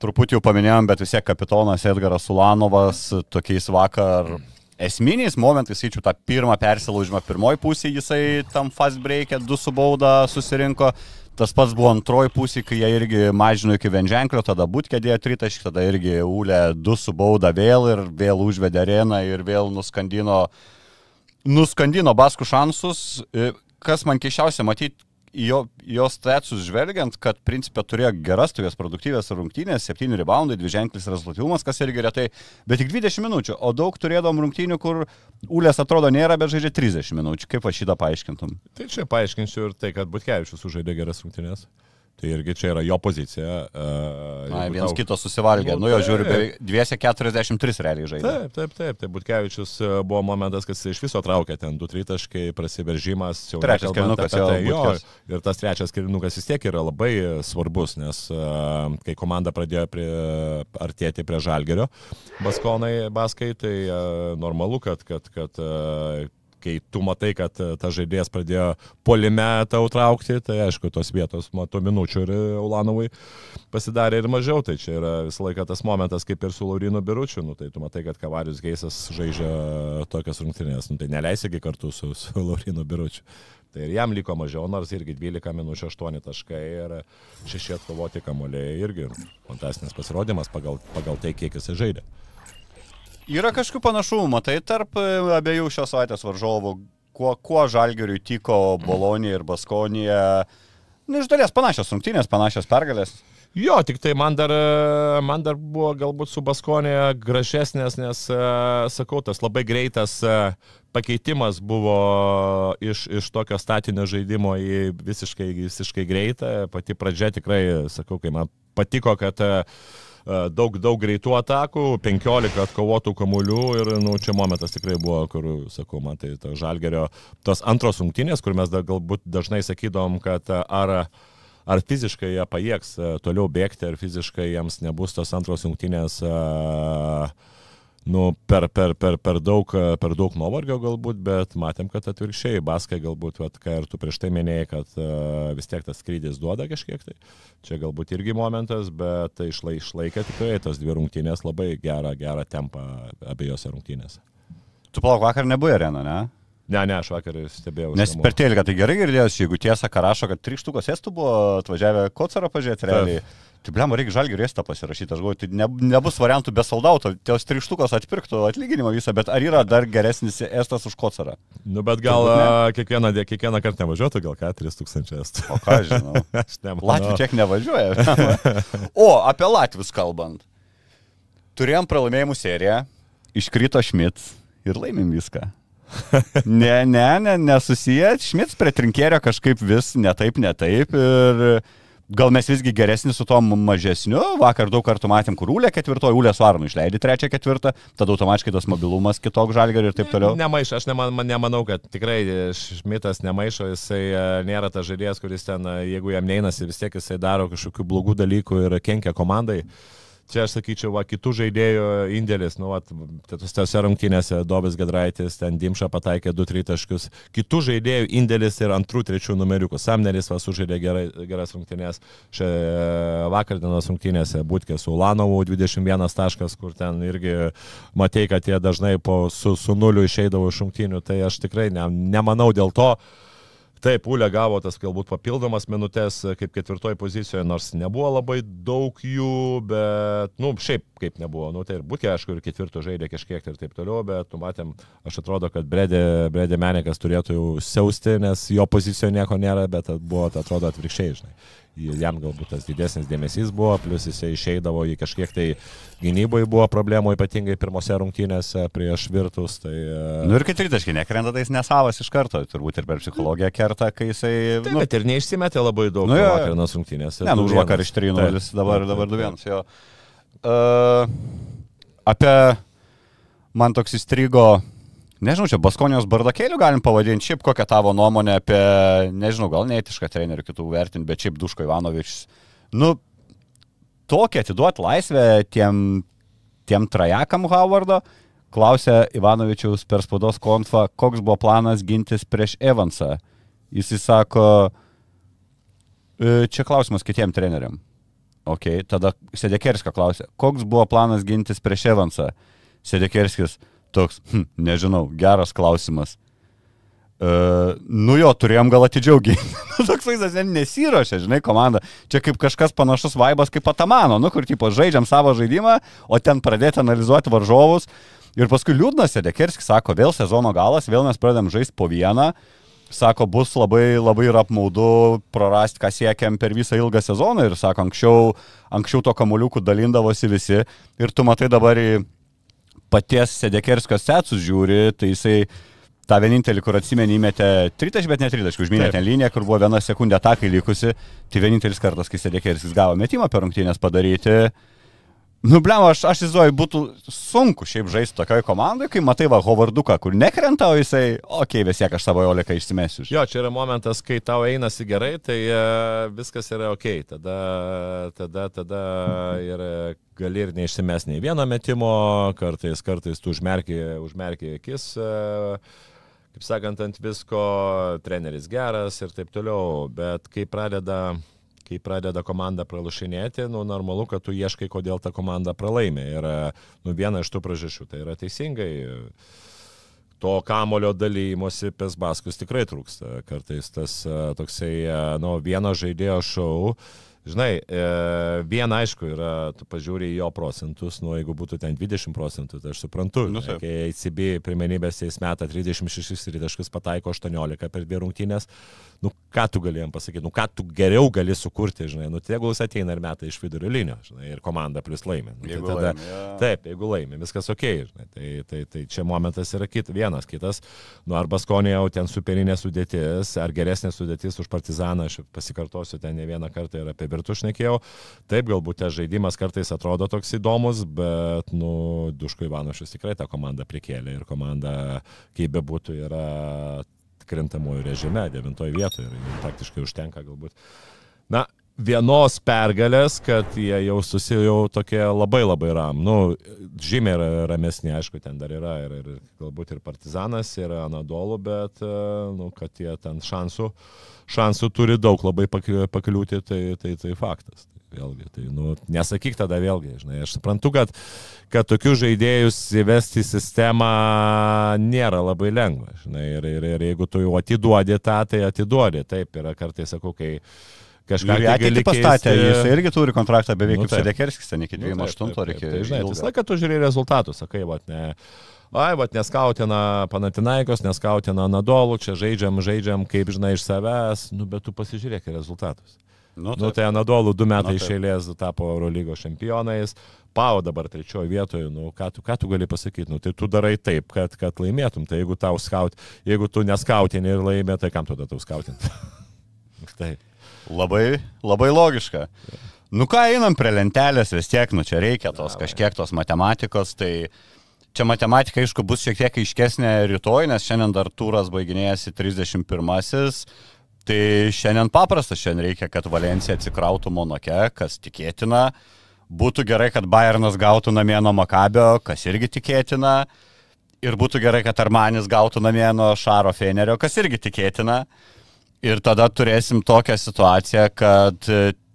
truputį jau paminėjom, bet vis tiek kapitonas Edgaras Ulanovas tokiais vakar esminiais momentais, įčiau tą pirmą persilaužimą pirmoji pusė, jisai tam fast break'e 2 su bauda susirinko. Tas pats buvo antroji pusė, kai jie irgi mažino iki vienženklio, tada Butkė dėjo 3 taškį, tada irgi Ūlė 2 su bauda vėl ir vėl užvedė areną ir vėl nuskandino Baskų šansus. Kas man keiščiausia matyti, jos statsus žvelgiant, kad principė turėjo geras, tokias produktyvės rungtynės, 7 reboundai, 2 ženklis rezultatyvumas, kas irgi retai, bet tik 20 minučių, o daug turėdom rungtynių, kur Ūlės atrodo nėra, bet žaidžia 30 minučių. Kaip aš šitą paaiškintum? Tai čia paaiškinsiu ir tai, kad Butkevičius sužaidė geras rungtynės. Tai irgi čia yra jo pozicija. Vienas kitos susivalgė. Nu jo, žiūriu, beveik 243 realiai žaidė. Taip. Tai Butkevičius buvo momentas, kad jis iš viso traukė ten 2-3 taškai, prasiveržimas. Trečias kėlinukas jo. Ir tas trečias kėlinukas vis tiek yra labai svarbus, nes kai komanda pradėjo artėti prie Žalgirio Baskai, tai normalu, kad kai tu matai, kad ta žaidėjas pradėjo puolime tau traukti, tai aišku, tos vietos, tų minučių ir Ulanovui pasidarė ir mažiau, tai čia yra visą laiką tas momentas, kaip ir su Laurinu Biručiu, tai tu matai, kad Kavarius Geisas žaidžia tokias rungtynės, tai neleisigi kartu su Laurinu Biručiu. Tai ir jam liko mažiau, nors irgi 12 minučių 8 taškai ir 6 atkovoti kamuoliai irgi fantastinis pasirodymas pagal tai, kiek jis žaidė. Yra kažkokių panašumų, matai, tarp abiejų šios savaitės varžovų, kuo Žalgiriui tiko Bolonija ir Baskonija. Iš dalies panašios rungtynės, panašios pergalės. Jo, tik tai man dar buvo galbūt su Baskonija gražesnės, nes, sakau, tas labai greitas pakeitimas buvo iš tokio statinio žaidimo į visiškai greitą. Pati pradžia tikrai, sakau, kai man patiko, kad daug greitų atakų, 15 atkovotų kamuolių ir čia momentas tikrai buvo, kur, sakau, man tai Žalgirio tos antros rungtynės, kur mes galbūt dažnai sakydom, kad ar fiziškai jie pajėgs toliau bėgti, ar fiziškai jiems nebus tos antros rungtynės per daug nuovargio galbūt, bet matėm, kad atvirkščiai Baskai galbūt, ką ir tu prieš tai minėjai, kad vis tiek tas skrydis duoda kažkiek, tai čia galbūt irgi momentas, bet tai išlaikė tikrai tas dvi rungtynės labai gerą tempą abiejose rungtynėse. Tu palauk, vakar nebuvo arena, ne? Ne, aš vakar stebėjau. Nes per teliką tai gerai girdėjus, jeigu tiesa, ką rašo, kad 3 štukos estų buvo atvažiavę Kocarą pažiūrėti realiai. Tai blema, reikia Žalgirio estą pasirašyti, aš galvoju, tai nebus variantų be soldauto, tos 3 štukos atpirktų atlyginimą visą, bet ar yra dar geresnis estas už Kocarą? Bet gal kiekvieną kartą nevažiuotų, gal 4000 estų. O ką žinau? Latvių tiek nevažiuoja. O, apie latvius kalbant. Turėjom pralaimėjimų seriją, iškrito Šmits ir laimim viską. Nesusiję, Šmits prie Trinkėrio kažkaip vis netaip ir gal mes visgi geresni su tom mažesniu, vakar daug kartų matėm, kur Ūlė ketvirtoji, Ūlė su Arnu išleidė 3-4, tada automatiškai tas mobilumas kitok Žalgirio ir taip toliau. Nemaišo, aš nemanau, kad tikrai Šmitas nemaišo, jisai nėra tas žaidėjas, kuris ten, jeigu jam neinasi, vis tiek jisai daro kažkokių blogų dalykų ir kenkia komandai. Čia aš sakyčiau, kitų žaidėjų indėlis, tose rungtynėse Dobis Gedraitis, ten Dimša pataikė 2-3 taškus, kitų žaidėjų indėlis ir 2-3 numeriukų. Samneris sužaidė geras rungtynės, vakardienos rungtynėse Butkė su Ulanovu 21 taškas, kur ten irgi matei, kad jie dažnai su nuliu išeidavo iš rungtynių, tai aš tikrai nemanau dėl to. Taip, Ūlė gavo tas galbūt papildomas minutės kaip ketvirtoji pozicijoje, nors nebuvo labai daug jų, bet, šiaip kaip nebuvo. Tai ir Butkė, aišku, ir ketvirto žaidė kažkiek ir taip toliau, bet matėm, aš atrodo, kad Bredė Menikas turėtų jau siausti, nes jo pozicijoje nieko nėra, bet buvo, atrodo, atvirkščiai, žinai. Jam galbūt tas didesnis dėmesys buvo, plus jisai išeidavo į kažkiek tai gynyboje buvo problemų, ypatingai pirmose rungtynėse prieš Virtus. Tai, ir kai tritaškai nekrenta, tai jis nesavas iš karto, turbūt ir per psichologija kerta, kai jisai... Taip, bet ir neišsimetė labai daug vakarinos rungtynėse. Už vakar iš 3-0, dabar 2-1. Apie man toks įstrigo... Nežinau, čia Baskonijos bardakėlių galim pavadinti, šiaip kokią tavo nuomonę apie, nežinau, gal neetišką trenerių kitų vertinti, bet šiaip Duško Ivanovičius. Tokią atiduoti laisvę tiem trajakam Howardo, klausė Ivanovičiaus per spaudos konfą, koks buvo planas gintis prieš Evansą. Jis sako, čia klausimas kitiem treneriam. Ok, tada Sedekerskio klausė, koks buvo planas gintis prieš Evansą. Sedekerskis toks, nežinau, geras klausimas. Turėjom gal atidžiau ginti. Toks vaizdas nesiruošia, žinai, komanda. Čia kaip kažkas panašus vaibas kaip Atamano, kur tipo žaidžiam savo žaidimą, o ten pradėti analizuoti varžovus. Ir paskui liūdnas Sedekerskis sako, vėl sezono galas, vėl mes pradedam žaisti po vieną. Sako, bus labai ir apmaudu prarasti, ką siekiam per visą ilgą sezoną. Ir sako, anksčiau to kamuoliukų dalindavosi visi. Ir tu matai dabar į paties Sedekerskio setsus žiūri, tai jisai tą vienintelį, kur atsimeni, įmetė tritaškį, bet ne tritaškį, užminė ten liniją, kur buvo 1 sekundė atakai likusi, tai vienintelis kartas, kai Sedekeris gavo metimą per rungtynės padaryti. Nu, blemo, aš įsivaizduoju, būtų sunku šiaip žaisti tokioj komandai, kai matai va Hovarduką, kur nekrenta, o jisai, vis tiek aš savo Oliką išsimesiu. Jo, čia yra momentas, kai tau einasi gerai, tai viskas yra tada ir gali ir neišsimes nei vieno metimo, kartais tu užmerki akis, kaip sakant, ant visko, treneris geras ir taip toliau, bet kai pradeda komanda pralašinėti, normalu, kad tu ieškai, kodėl ta komanda pralaimė. Ir viena iš tų priežasčių, tai yra teisingai, to kamulio dalymosi pas baskus tikrai trūksta. Kartais tas toksai, vieno žaidėjo šou, žinai, viena aišku yra, tu pažiūrė į jo procentus, jeigu būtų ten 20%, tai aš suprantu, kai ACB pirmenybės jais meta 36 taškus, pataiko 18 per 2 rungtynės, ką tu galėjom pasakyti, ką tu geriau gali sukurti, žinai, tegul jis ateina ir meta iš vidurio linijos, žinai, ir komanda plus laimė. Taip, jeigu laimė, viskas ok, žinai, tai čia momentas yra vienas, kitas, ar Baskonija jau ten superinė sudėtis, ar geresnė sudėtis už Partizaną, aš pasikartosiu ten ne vieną kartą ir apie Virtus šnekėjau, taip, galbūt tas žaidimas kartais atrodo toks įdomus, bet, Duško Ivanovičius tikrai tą komandą prikėlė ir komanda, kaip bebūtų, yra krintamųjų režime, 9 vietoje ir praktiškai užtenka galbūt. Vienos pergalės, kad jie jau tokie labai ram. Žymiai ramesni, aišku, ten dar yra ir galbūt ir Partizanas, ir Anadolu, bet, kad jie ten šansų turi daug labai pakliūti, tai faktas. Vėlgi, tai, nesakyk tada vėlgi, žinai, aš suprantu, kad tokius žaidėjus įvesti į sistemą nėra labai lengva, žinai, ir jeigu tu jau atiduodi tą, tai atiduodi, taip, yra kartais, sakau, kai kažką gali pastatė, jis irgi turi kontraktą beveik kaip Sedekerskis, ten iki 28 ar iki... Žinai, visą laiką tu žiūrėjai rezultatus, sakai, neskautina Panathinaikos, neskautina Anadolu, čia žaidžiam, kaip žinai, iš savęs, bet tu pasižiūrėk rezultatus. Tai Anadolu 2 metai iš eilės tapo Eurolygos čempionais, Pau dabar 3 vietoje, ką tu gali pasakyti, tai tu darai taip, kad laimėtum, tai jeigu tu neskautini ir laimė, tai kam tada tau skautinti? Taip. Labai, labai logiška. Ką einam prie lentelės vis tiek, čia reikia kažkiek tos matematikos, tai čia matematika, aišku, bus šiek tiek aiškesnė rytoj, nes šiandien dar turas baiginėjasi 31-asis, tai šiandien paprasta, šiandien reikia, kad Valencija atsikrautų Monake, kas tikėtina, būtų gerai, kad Bayernas gautų namie nuo Makabio, kas irgi tikėtina, ir būtų gerai, kad Armanis gautų namie nuo Šaro Fenerio, kas irgi tikėtina. Ir tada turėsim tokią situaciją, kad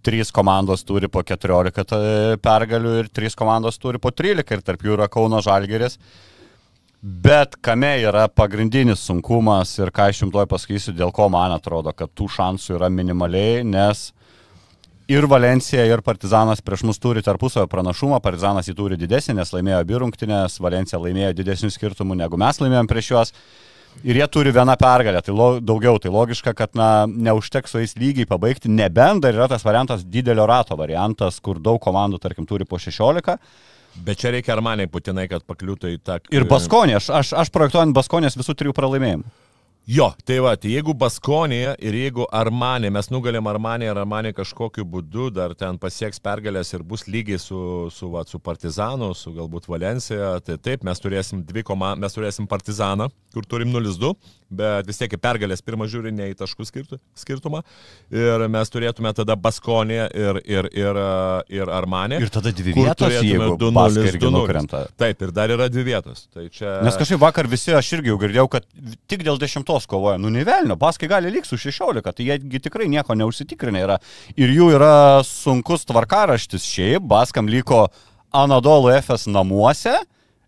3 komandos turi po 14 pergalių ir 3 komandos turi po 13 ir tarp jų yra Kauno Žalgiris. Bet kame yra pagrindinis sunkumas ir ką aš jums tuoj pasakysiu, dėl ko man atrodo, kad tų šansų yra minimaliai, nes ir Valencija, ir Partizanas prieš mus turi tarpusavio pranašumą, Partizanas jį turi didesnį, nes laimėjo abi rungtynes, Valencija laimėjo didesnių skirtumų negu mes laimėjom prieš juos. Ir jie turi 1 pergalę, tai daugiau, tai logiška, kad neužteks su jais lygiai pabaigti, nebent dar yra tas variantas didelio rato variantas, kur daug komandų, tarkim, turi po 16. Bet čia reikia Armaniai būtinai, kad pakliūtų į tą... Ir Baskonė, aš projektuojant Baskonės visų 3 pralaimėjimų. Jo, tai jeigu Baskonė ir jeigu Armanė, mes nugalėm Armanį ir Armanė kažkokiu būdu dar ten pasieks pergalės ir bus lygiai su Partizanu, su galbūt Valencija, tai taip, mes turėsim mes turėsim Partizaną, kur turim 0-2, bet vis tiek pergalės pirmą žiūri ne į taškų skirtumą ir mes turėtume tada Baskonė ir Armanė. Ir tada 2 vietos, jeigu Baskai irgi nukrenta. Taip, ir dar yra 2 vietos. Tai čia... Nes kažkaip vakar visi, aš irgi jau girdėjau, kad tik dėl 10 kovoja. Nevelnio, Baskai gali lyg su 16, tai jie tikrai nieko neužsitikrinę yra. Ir jų yra sunkus tvarkaraštis šiaip, Baskam liko Anadolu Efes namuose,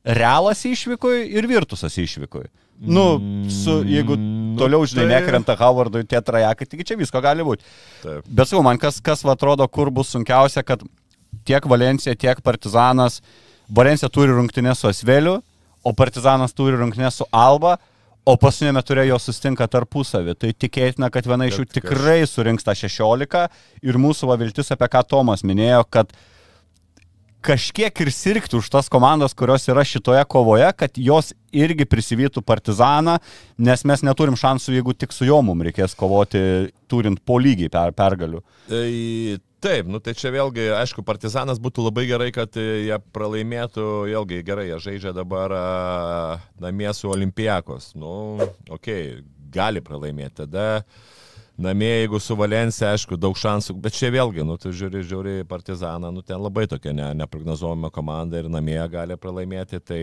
Realas išvykui ir Virtusas išvykui. Jeigu toliau, žinai, nekrenta Howardui tie trajekai, tik čia visko gali būti. Taip. Bet sakau, man kas atrodo, kur bus sunkiausia, kad tiek Valencija, tiek Partizanas, Valencija turi rungtynės su Asveliu, o Partizanas turi rungtynės su Alba, o paskutinėme ture jo sustinka tarpusavį. Tai tikėtina, kad viena iš jų tikrai surinks tą 16 ir mūsų viltis, apie ką Tomas minėjo, kad kažkiek ir sirgti už tas komandas, kurios yra šitoje kovoje, kad jos irgi prisivytų Partizaną, nes mes neturim šansų, jeigu tik su juo mums reikės kovoti, turint po lygiai pergalių. Taip, tai čia vėlgi, aišku, Partizanas būtų labai gerai, kad jie pralaimėtų, vėlgi gerai, jie žaidžia dabar namie su Olimpiakos. Gali pralaimėti. Tada namie, jeigu su Valencija, aišku, daug šansų, bet čia vėlgi, tu žiūri Partizaną, ten labai tokia neprognozuojama komanda ir namie gali pralaimėti, tai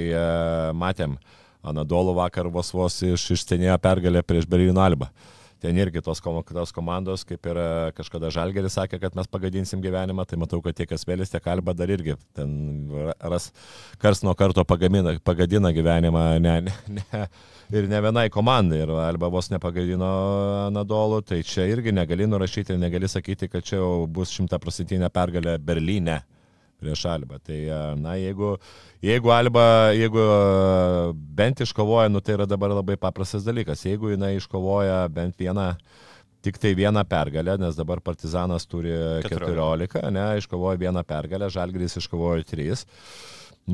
matėm, Anadolu vakar vos išstenėjo pergalę prieš Berlyno Albą. Ten irgi tos komandos, kaip ir kažkada Žalgiris sakė, kad mes pagadinsim gyvenimą, tai matau, kad tiek Asvelis, tiek Alba dar irgi ten kars nuo karto pagadina gyvenimą ir ne vienai komandai, ir Alba vos nepagadino Anadolu, tai čia irgi negali nurašyti ir negali sakyti, kad čia jau bus 100% pergalė Berlyne prieš Albą. Tai, jeigu Alba, bent iškovoja, tai yra dabar labai paprastas dalykas. Jeigu jinai iškovoja bent tik tai vieną pergalę, nes dabar Partizanas turi 14, iškovoja vieną pergalę, Žalgiris iškovoja 3.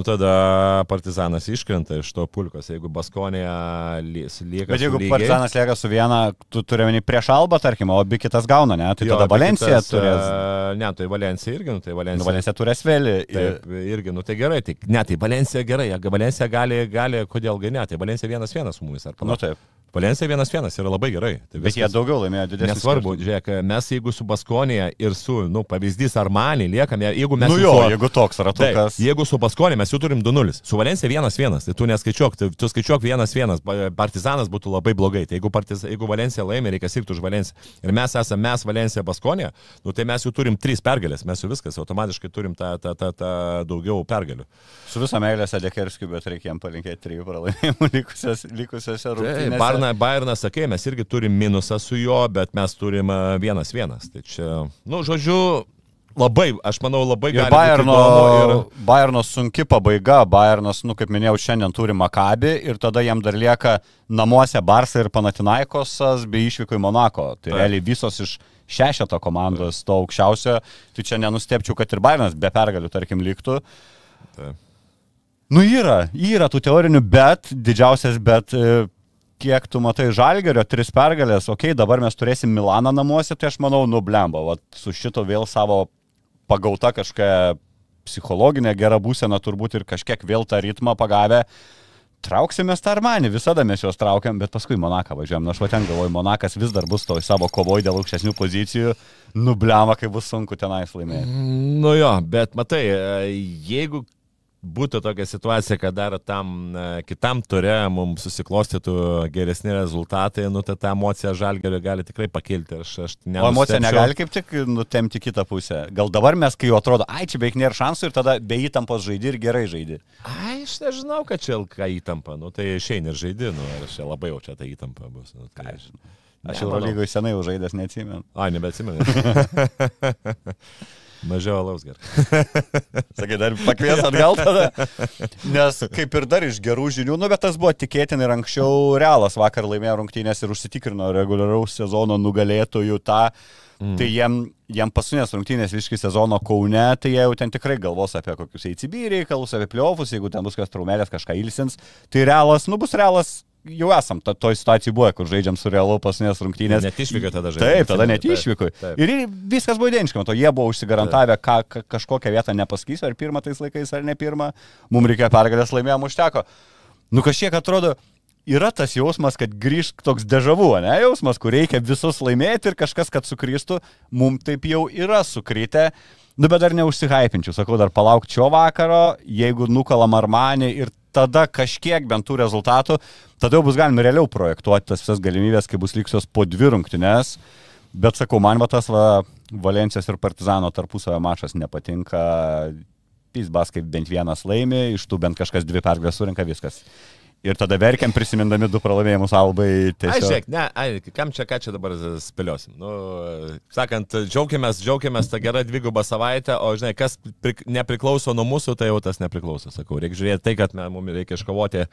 Tada Partizanas iškrenta iš to pulkos, jeigu Baskonija lieka su lygiai. Bet jeigu Partizanas lieka su viena, tu turi prieš Albą, tarkim, o abi kitas gauna, ne? Tai tada Valencija turės... Ne, tai Valencija irgi, Valencija turės vėlį. Taip, irgi, tai gerai, tai Valencija gerai, Valencija gali, kodėl ne, tai Valencija 1-1 su mumis, ar panašiai. Taip. Valencija 1-1 yra labai gerai. Tai bet jie daugiau laimėjo didesnį. Nesvarbu, žiūrėk, mes jeigu su Baskonija ir su, pavyzdys Armani liekame, jeigu mes... jeigu toks ratukas. Jeigu su Baskonija mes jau turim 2-0, su Valencija 1-1, tai tu neskaičiuok, tu skaičiuok 1-1, Partizanas būtų labai blogai. Tai jeigu Valencija laimė, reikia sirgti už Valenciją. Ir mes esame Valencija Baskonija, tai mes jau turim 3 pergalės, mes jau viskas, automatiškai turim tą daugiau pergalių. Su visą meilę Sadekerskiu, bet reikia jam palinkėti 3 pralaimėjimų likusiose rungtynėse. Bayernas, sakė, mes irgi turim minusą su juo, bet mes turim 1-1. Tai čia, žodžiu, aš manau, labai gali būti įdomu. Bayerno sunki pabaiga. Bayernas, kaip minėjau, šiandien turi Maccabi ir tada jam dar lieka namuose Barsa ir Panathinaikosas bei išvyko į Monako. Tai realiai visos iš 6 komandos to aukščiausio. Tai čia nenustepčiau, kad ir Bayernas be pergalių, tarkim, liktų. Taip. Yra tų teorinių, bet didžiausias, kiek tu matai Žalgirio 3 pergalės, dabar mes turėsim Milaną namuose, tai aš manau, blemba, su šito vėl savo pagauta kažkokia psichologinė gera būsena turbūt ir kažkiek vėl tą ritmą pagavę, trauksimės tą Armanį, visada mes juos traukiam, bet paskui Monaką važiuojam, aš ten galvoju, Monakas vis dar bus toj savo kovoj dėl aukštesnių pozicijų, blemba, kai bus sunku tenais laimėti. Bet matai, jeigu būtų tokia situacija, kad dar tam kitam ture mums susiklostytų geresni rezultatai, ta emocija Žalgirio gali tikrai pakilti. O emocija negali kaip tik nutemti kitą pusę. Gal dabar mes, kai jau atrodo, čia beveik nėra šansų ir tada be įtampos žaidi ir gerai žaidi. Aš nežinau, kad čia ilga įtampa, tai išeini ir žaidi, ir čia labai jau čia ta įtampa bus. Aš Eurolygoje senai jau žaidęs, neatsimenu. Nebeatsimenu. Mažiau alaus gerai. Sakai, dar pakvies atgal tada? Nes kaip ir dar iš gerų žinių, bet tas buvo tikėtina ir anksčiau Realas vakar laimėjo rungtynės ir užsitikrino reguliaraus sezono nugalėtojų tą. Tai jiem pasunės rungtynės visiškai sezono Kaune, tai jie jau ten tikrai galvos apie kokius ACB reikalus, apie playoffus, jeigu ten bus kas traumelės, kažką ilsins. Tai Realas, bus Realas. Jau esam toj situacijai buvo, kur žaidžiam su Realu pasunės rungtynės. Net išvyko tada žaidžiam. Taip, tada net išvyko. Ir viskas buvo identiška, jie buvo užsigarantavę, kažkokią vietą nepasakysiu, ar pirmą tais laikais, ar ne pirmą. Mums reikėjo pergalės, laimėjom, užteko. Kažkiek atrodo, yra tas jausmas, kad grįžk toks dežavu, ne jausmas, kur reikia visus laimėti ir kažkas, kad sukristų. Mums taip jau yra sukritę. Bet dar neužsihaipinčiau, sakau, dar palauk šio vakaro, jeigu nukalam Armanį ir tada kažkiek bent tų rezultatų, tada jau bus galima realiau projektuoti tas visas galimybės, kai bus liksios po 2 rungtynes. Bet sakau, man tas Valencijos ir Partizano tarpusavio mačas nepatinka. Pizbas kaip bent vienas laimi, iš tų bent kažkas 2 pergalės surinka, viskas. Ir tada verkiam prisimindami 2 pralaimėjimus Albai. Žiūrėk, ką čia dabar spėliosim. Sakant, džiaugiamės tą gerą 2 savaitę, o žinai, kas nepriklauso nuo mūsų, tai jau tas nepriklauso, sakau. Reikia žiūrėti tai, kad mums reikia iškovoti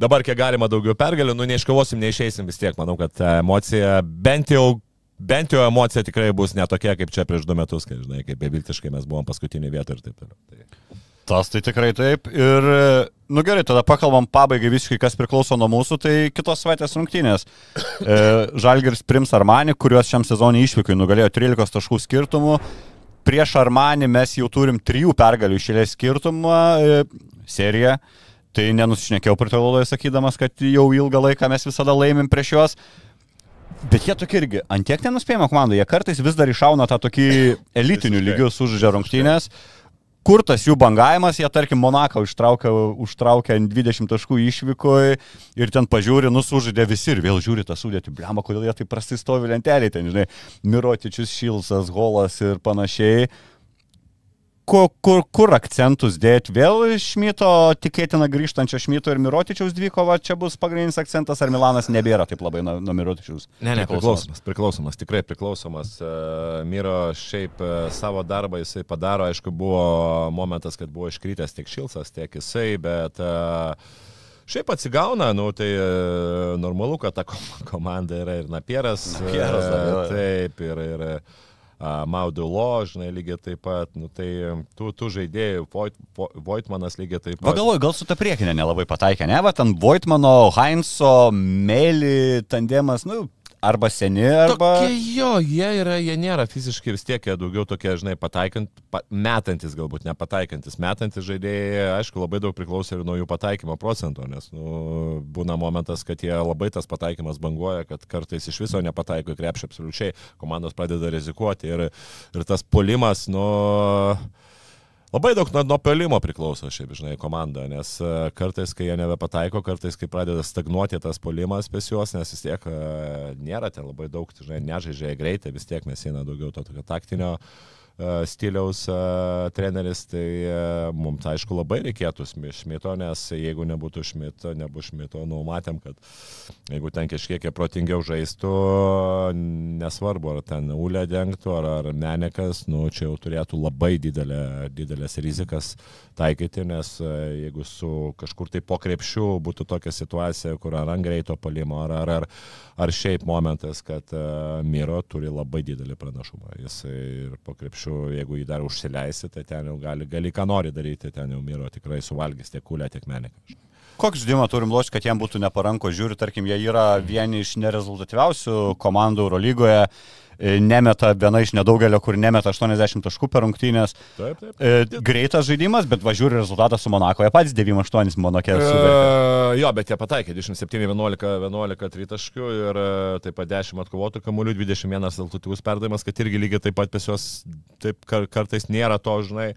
dabar kiek galima daugiau pergalių, neiškovosim, neišeisim vis tiek. Manau, kad emocija, bent jau emocija tikrai bus netokia, kaip čia prieš 2 metus, kai, žinai, kaip beviltiškai mes buvom paskutinį vietą ir taip toliau. Tas tai tikrai taip. Ir, nu gerai, tada pakalbam pabaigai visiškai, kas priklauso nuo mūsų, tai kitos savaitės rungtynės. Žalgiris priims Armanį, kuriuos šiam sezonui išvykai nugalėjo 13 taškų skirtumų. Prieš Armanį mes jau turim 3 pergalių išėlės skirtumą seriją. Tai nenusišnekėjau prie to laidoje sakydamas, kad jau ilgą laiką mes visada laimim prieš juos. Bet jie tokie irgi antiek nenuspėjama komanda. Jie kartais vis dar išauna tą tokį elitinių lygių sužaidžia rungtynės. Kur tas jų bangavimas, jie tarkim Monaką užtraukia 20 taškų išvykoj ir ten pažiūri, sužaidė visi ir vėl žiūri tą sudėtį. Bliamba, kodėl jie taip prastai stovi lentelėje, ten, žinai, Mirotičius, Šilsas, Holas ir panašiai. Kur akcentus dėti? Vėl Šmito, tikėtina grįžtančio Šmito ir Mirotičiaus dvikova, čia bus pagrindinis akcentas, ar Milanas nebėra taip labai nuo Mirotičiaus? Ne, priklausomas, tikrai priklausomas. Miro šiaip savo darbą jisai padaro, aišku, buvo momentas, kad buvo iškritęs tiek Šilsas, tiek jisai, bet šiaip atsigauna, tai normalu, kad ta komanda yra ir Napieras taip, ir Maudulo, žinai, lygiai taip pat, tai tų žaidėjų, Voitmanas lygiai taip pat. Galvoju, gal su ta priekinė nelabai pataikė, ne? Va, ten Voitmano, Heinzo, Meli, tandemas, arba seni, arba... Jie nėra fiziškai vis tiek, jie daugiau tokie, žinai, metantis galbūt, nepataikantis. Metantis žaidėjai, aišku, labai daug priklauso ir nuo jų pataikymo procento, nes būna momentas, kad jie labai tas pataikymas banguoja, kad kartais iš viso nepataiko į krepšį absoliučiai, komandos pradeda rizikuoti ir tas puolimas, labai daug nuo pelimo priklauso šiaip, žinai, komanda, nes kartais, kai jie nebepataiko, kartais, kai pradeda stagnuoti tas puolimas pas juos, nes vis tiek nėra ten labai daug, žinai, nežaidžia greitai, vis tiek mes eina daugiau to tokio taktinio stiliaus treneris, tai mums, aišku, labai reikėtų Šmito, nes jeigu nebūtų Šmito, matėm, kad jeigu ten kažkiek protingiau žaistų, nesvarbu, ar ten Ulė dengtų, ar Menekas, čia jau turėtų labai didelės rizikas taikyti, nes jeigu su kažkur tai po krepšiu būtų tokia situacija, kur ar ant greito palimo, ar šiaip momentas, kad Miro turi labai didelį pranašumą. Jis ir po krepšiu, jeigu jį dar užsileisi, tai ten jau gali ką nori daryti, ten jau Miro tikrai suvalgys tiek Ulę, tiek Meneką. Kokį žaidimą turim lošti, kad jam būtų neparanko? Žiūri, tarkim, jie yra vieni iš nerezultatyviausių komandų Eurolygoje, nemeta viena iš nedaugelio, kur nemeta 80 taškų per rungtynės. Taip. Greitas žaidimas, bet važiuoja rezultatą su Monako. Jie patys 9-8 Monake suvertė. Jo, bet jie pataikė 27-11 tritaškių ir taip pat 10 atkovotų kamuolių, 21 rezultatyvus perdavimas, kad irgi lygiai taip pat pas juos taip kartais nėra to, žinai.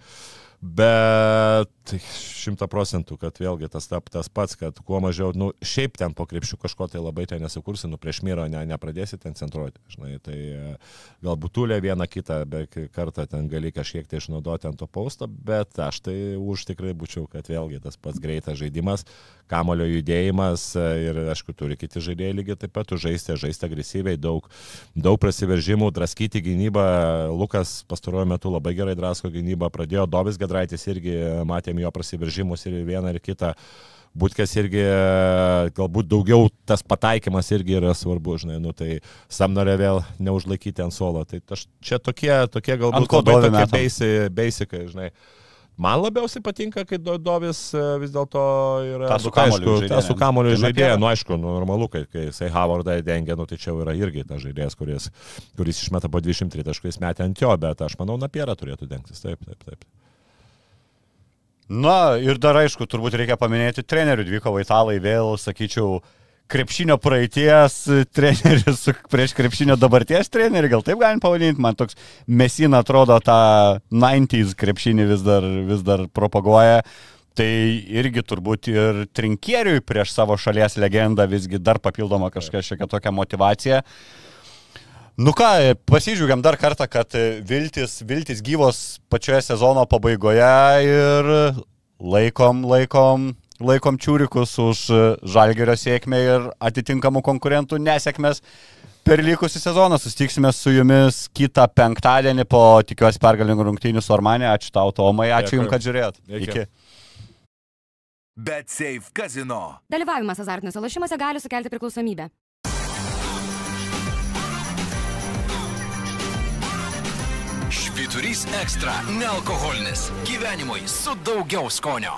Bet 100%, kad vėlgi tas pats, kad kuo mažiau, šiaip ten po krepšių kažko tai labai ten nesukursi, prieš Miro nepradėsi ten centruoti, žinai, tai galbūt Ulė vieną kitą, bet kartą ten gali kažkiek tai išnaudoti ant to pausto, bet aš tai už tikrai būčiau, kad vėlgi tas pats greitas žaidimas, kamulio judėjimas ir, aišku, turi kiti žaidėjai lygiai taip pat žaisti agresyviai, daug prasiveržimų, draskyti gynybą. Lukas pastaruoju metu labai gerai drasko gynybą, pradėjo Dovis Gedraitis irgi, matėm jo prasiveržimus ir vieną ir kitą. Butkės irgi, galbūt daugiau tas pataikymas irgi yra svarbu, žinai, tai Samnorė vėl neužlaikyti ant suolo. Tai čia tokie galbūt labai tokie basikai, žinai. Man labiausiai patinka, kai Dovis vis dėlto yra su kamuoliu žaidėja. Aišku, normalu, kai jisai Havardą dengia, tai čia yra irgi tas žaidėjas, kuris išmeta po 23 taškais metę ant jo, bet aš manau, Napierą turėtų dengtis. Taip. Na, ir dar aišku, turbūt reikia paminėti trenerių dvikovą italai vėl, sakyčiau, krepšinio praeities treneris prieš krepšinio dabarties trenerį, gal taip galim pavadinti, man toks Mesina atrodo tą 90s krepšinį vis dar propaguoja, tai irgi turbūt ir Trinkieriui prieš savo šalies legendą visgi dar papildoma kažkokia tokia motivacija. Pasižiūrėm dar kartą, kad viltis gyvos pačioje sezono pabaigoje ir laikom čiūrikus už Žalgirio sėkmę ir atitinkamų konkurentų nesėkmės per likusį sezoną. Susitiksime su jumis kitą penktadienį po tikiuosi pergalingų rungtynių su Armanė. Ačiū tau, Tomai, ačiū jums, kad žiūrėjot. Iki. BetSafe Casino. Dalyvavimas azartiniuose lošimuose gali sukelti priklausomybę. Švyturys ekstra - nealkoholinis. Gyvenimui su daugiau skonio.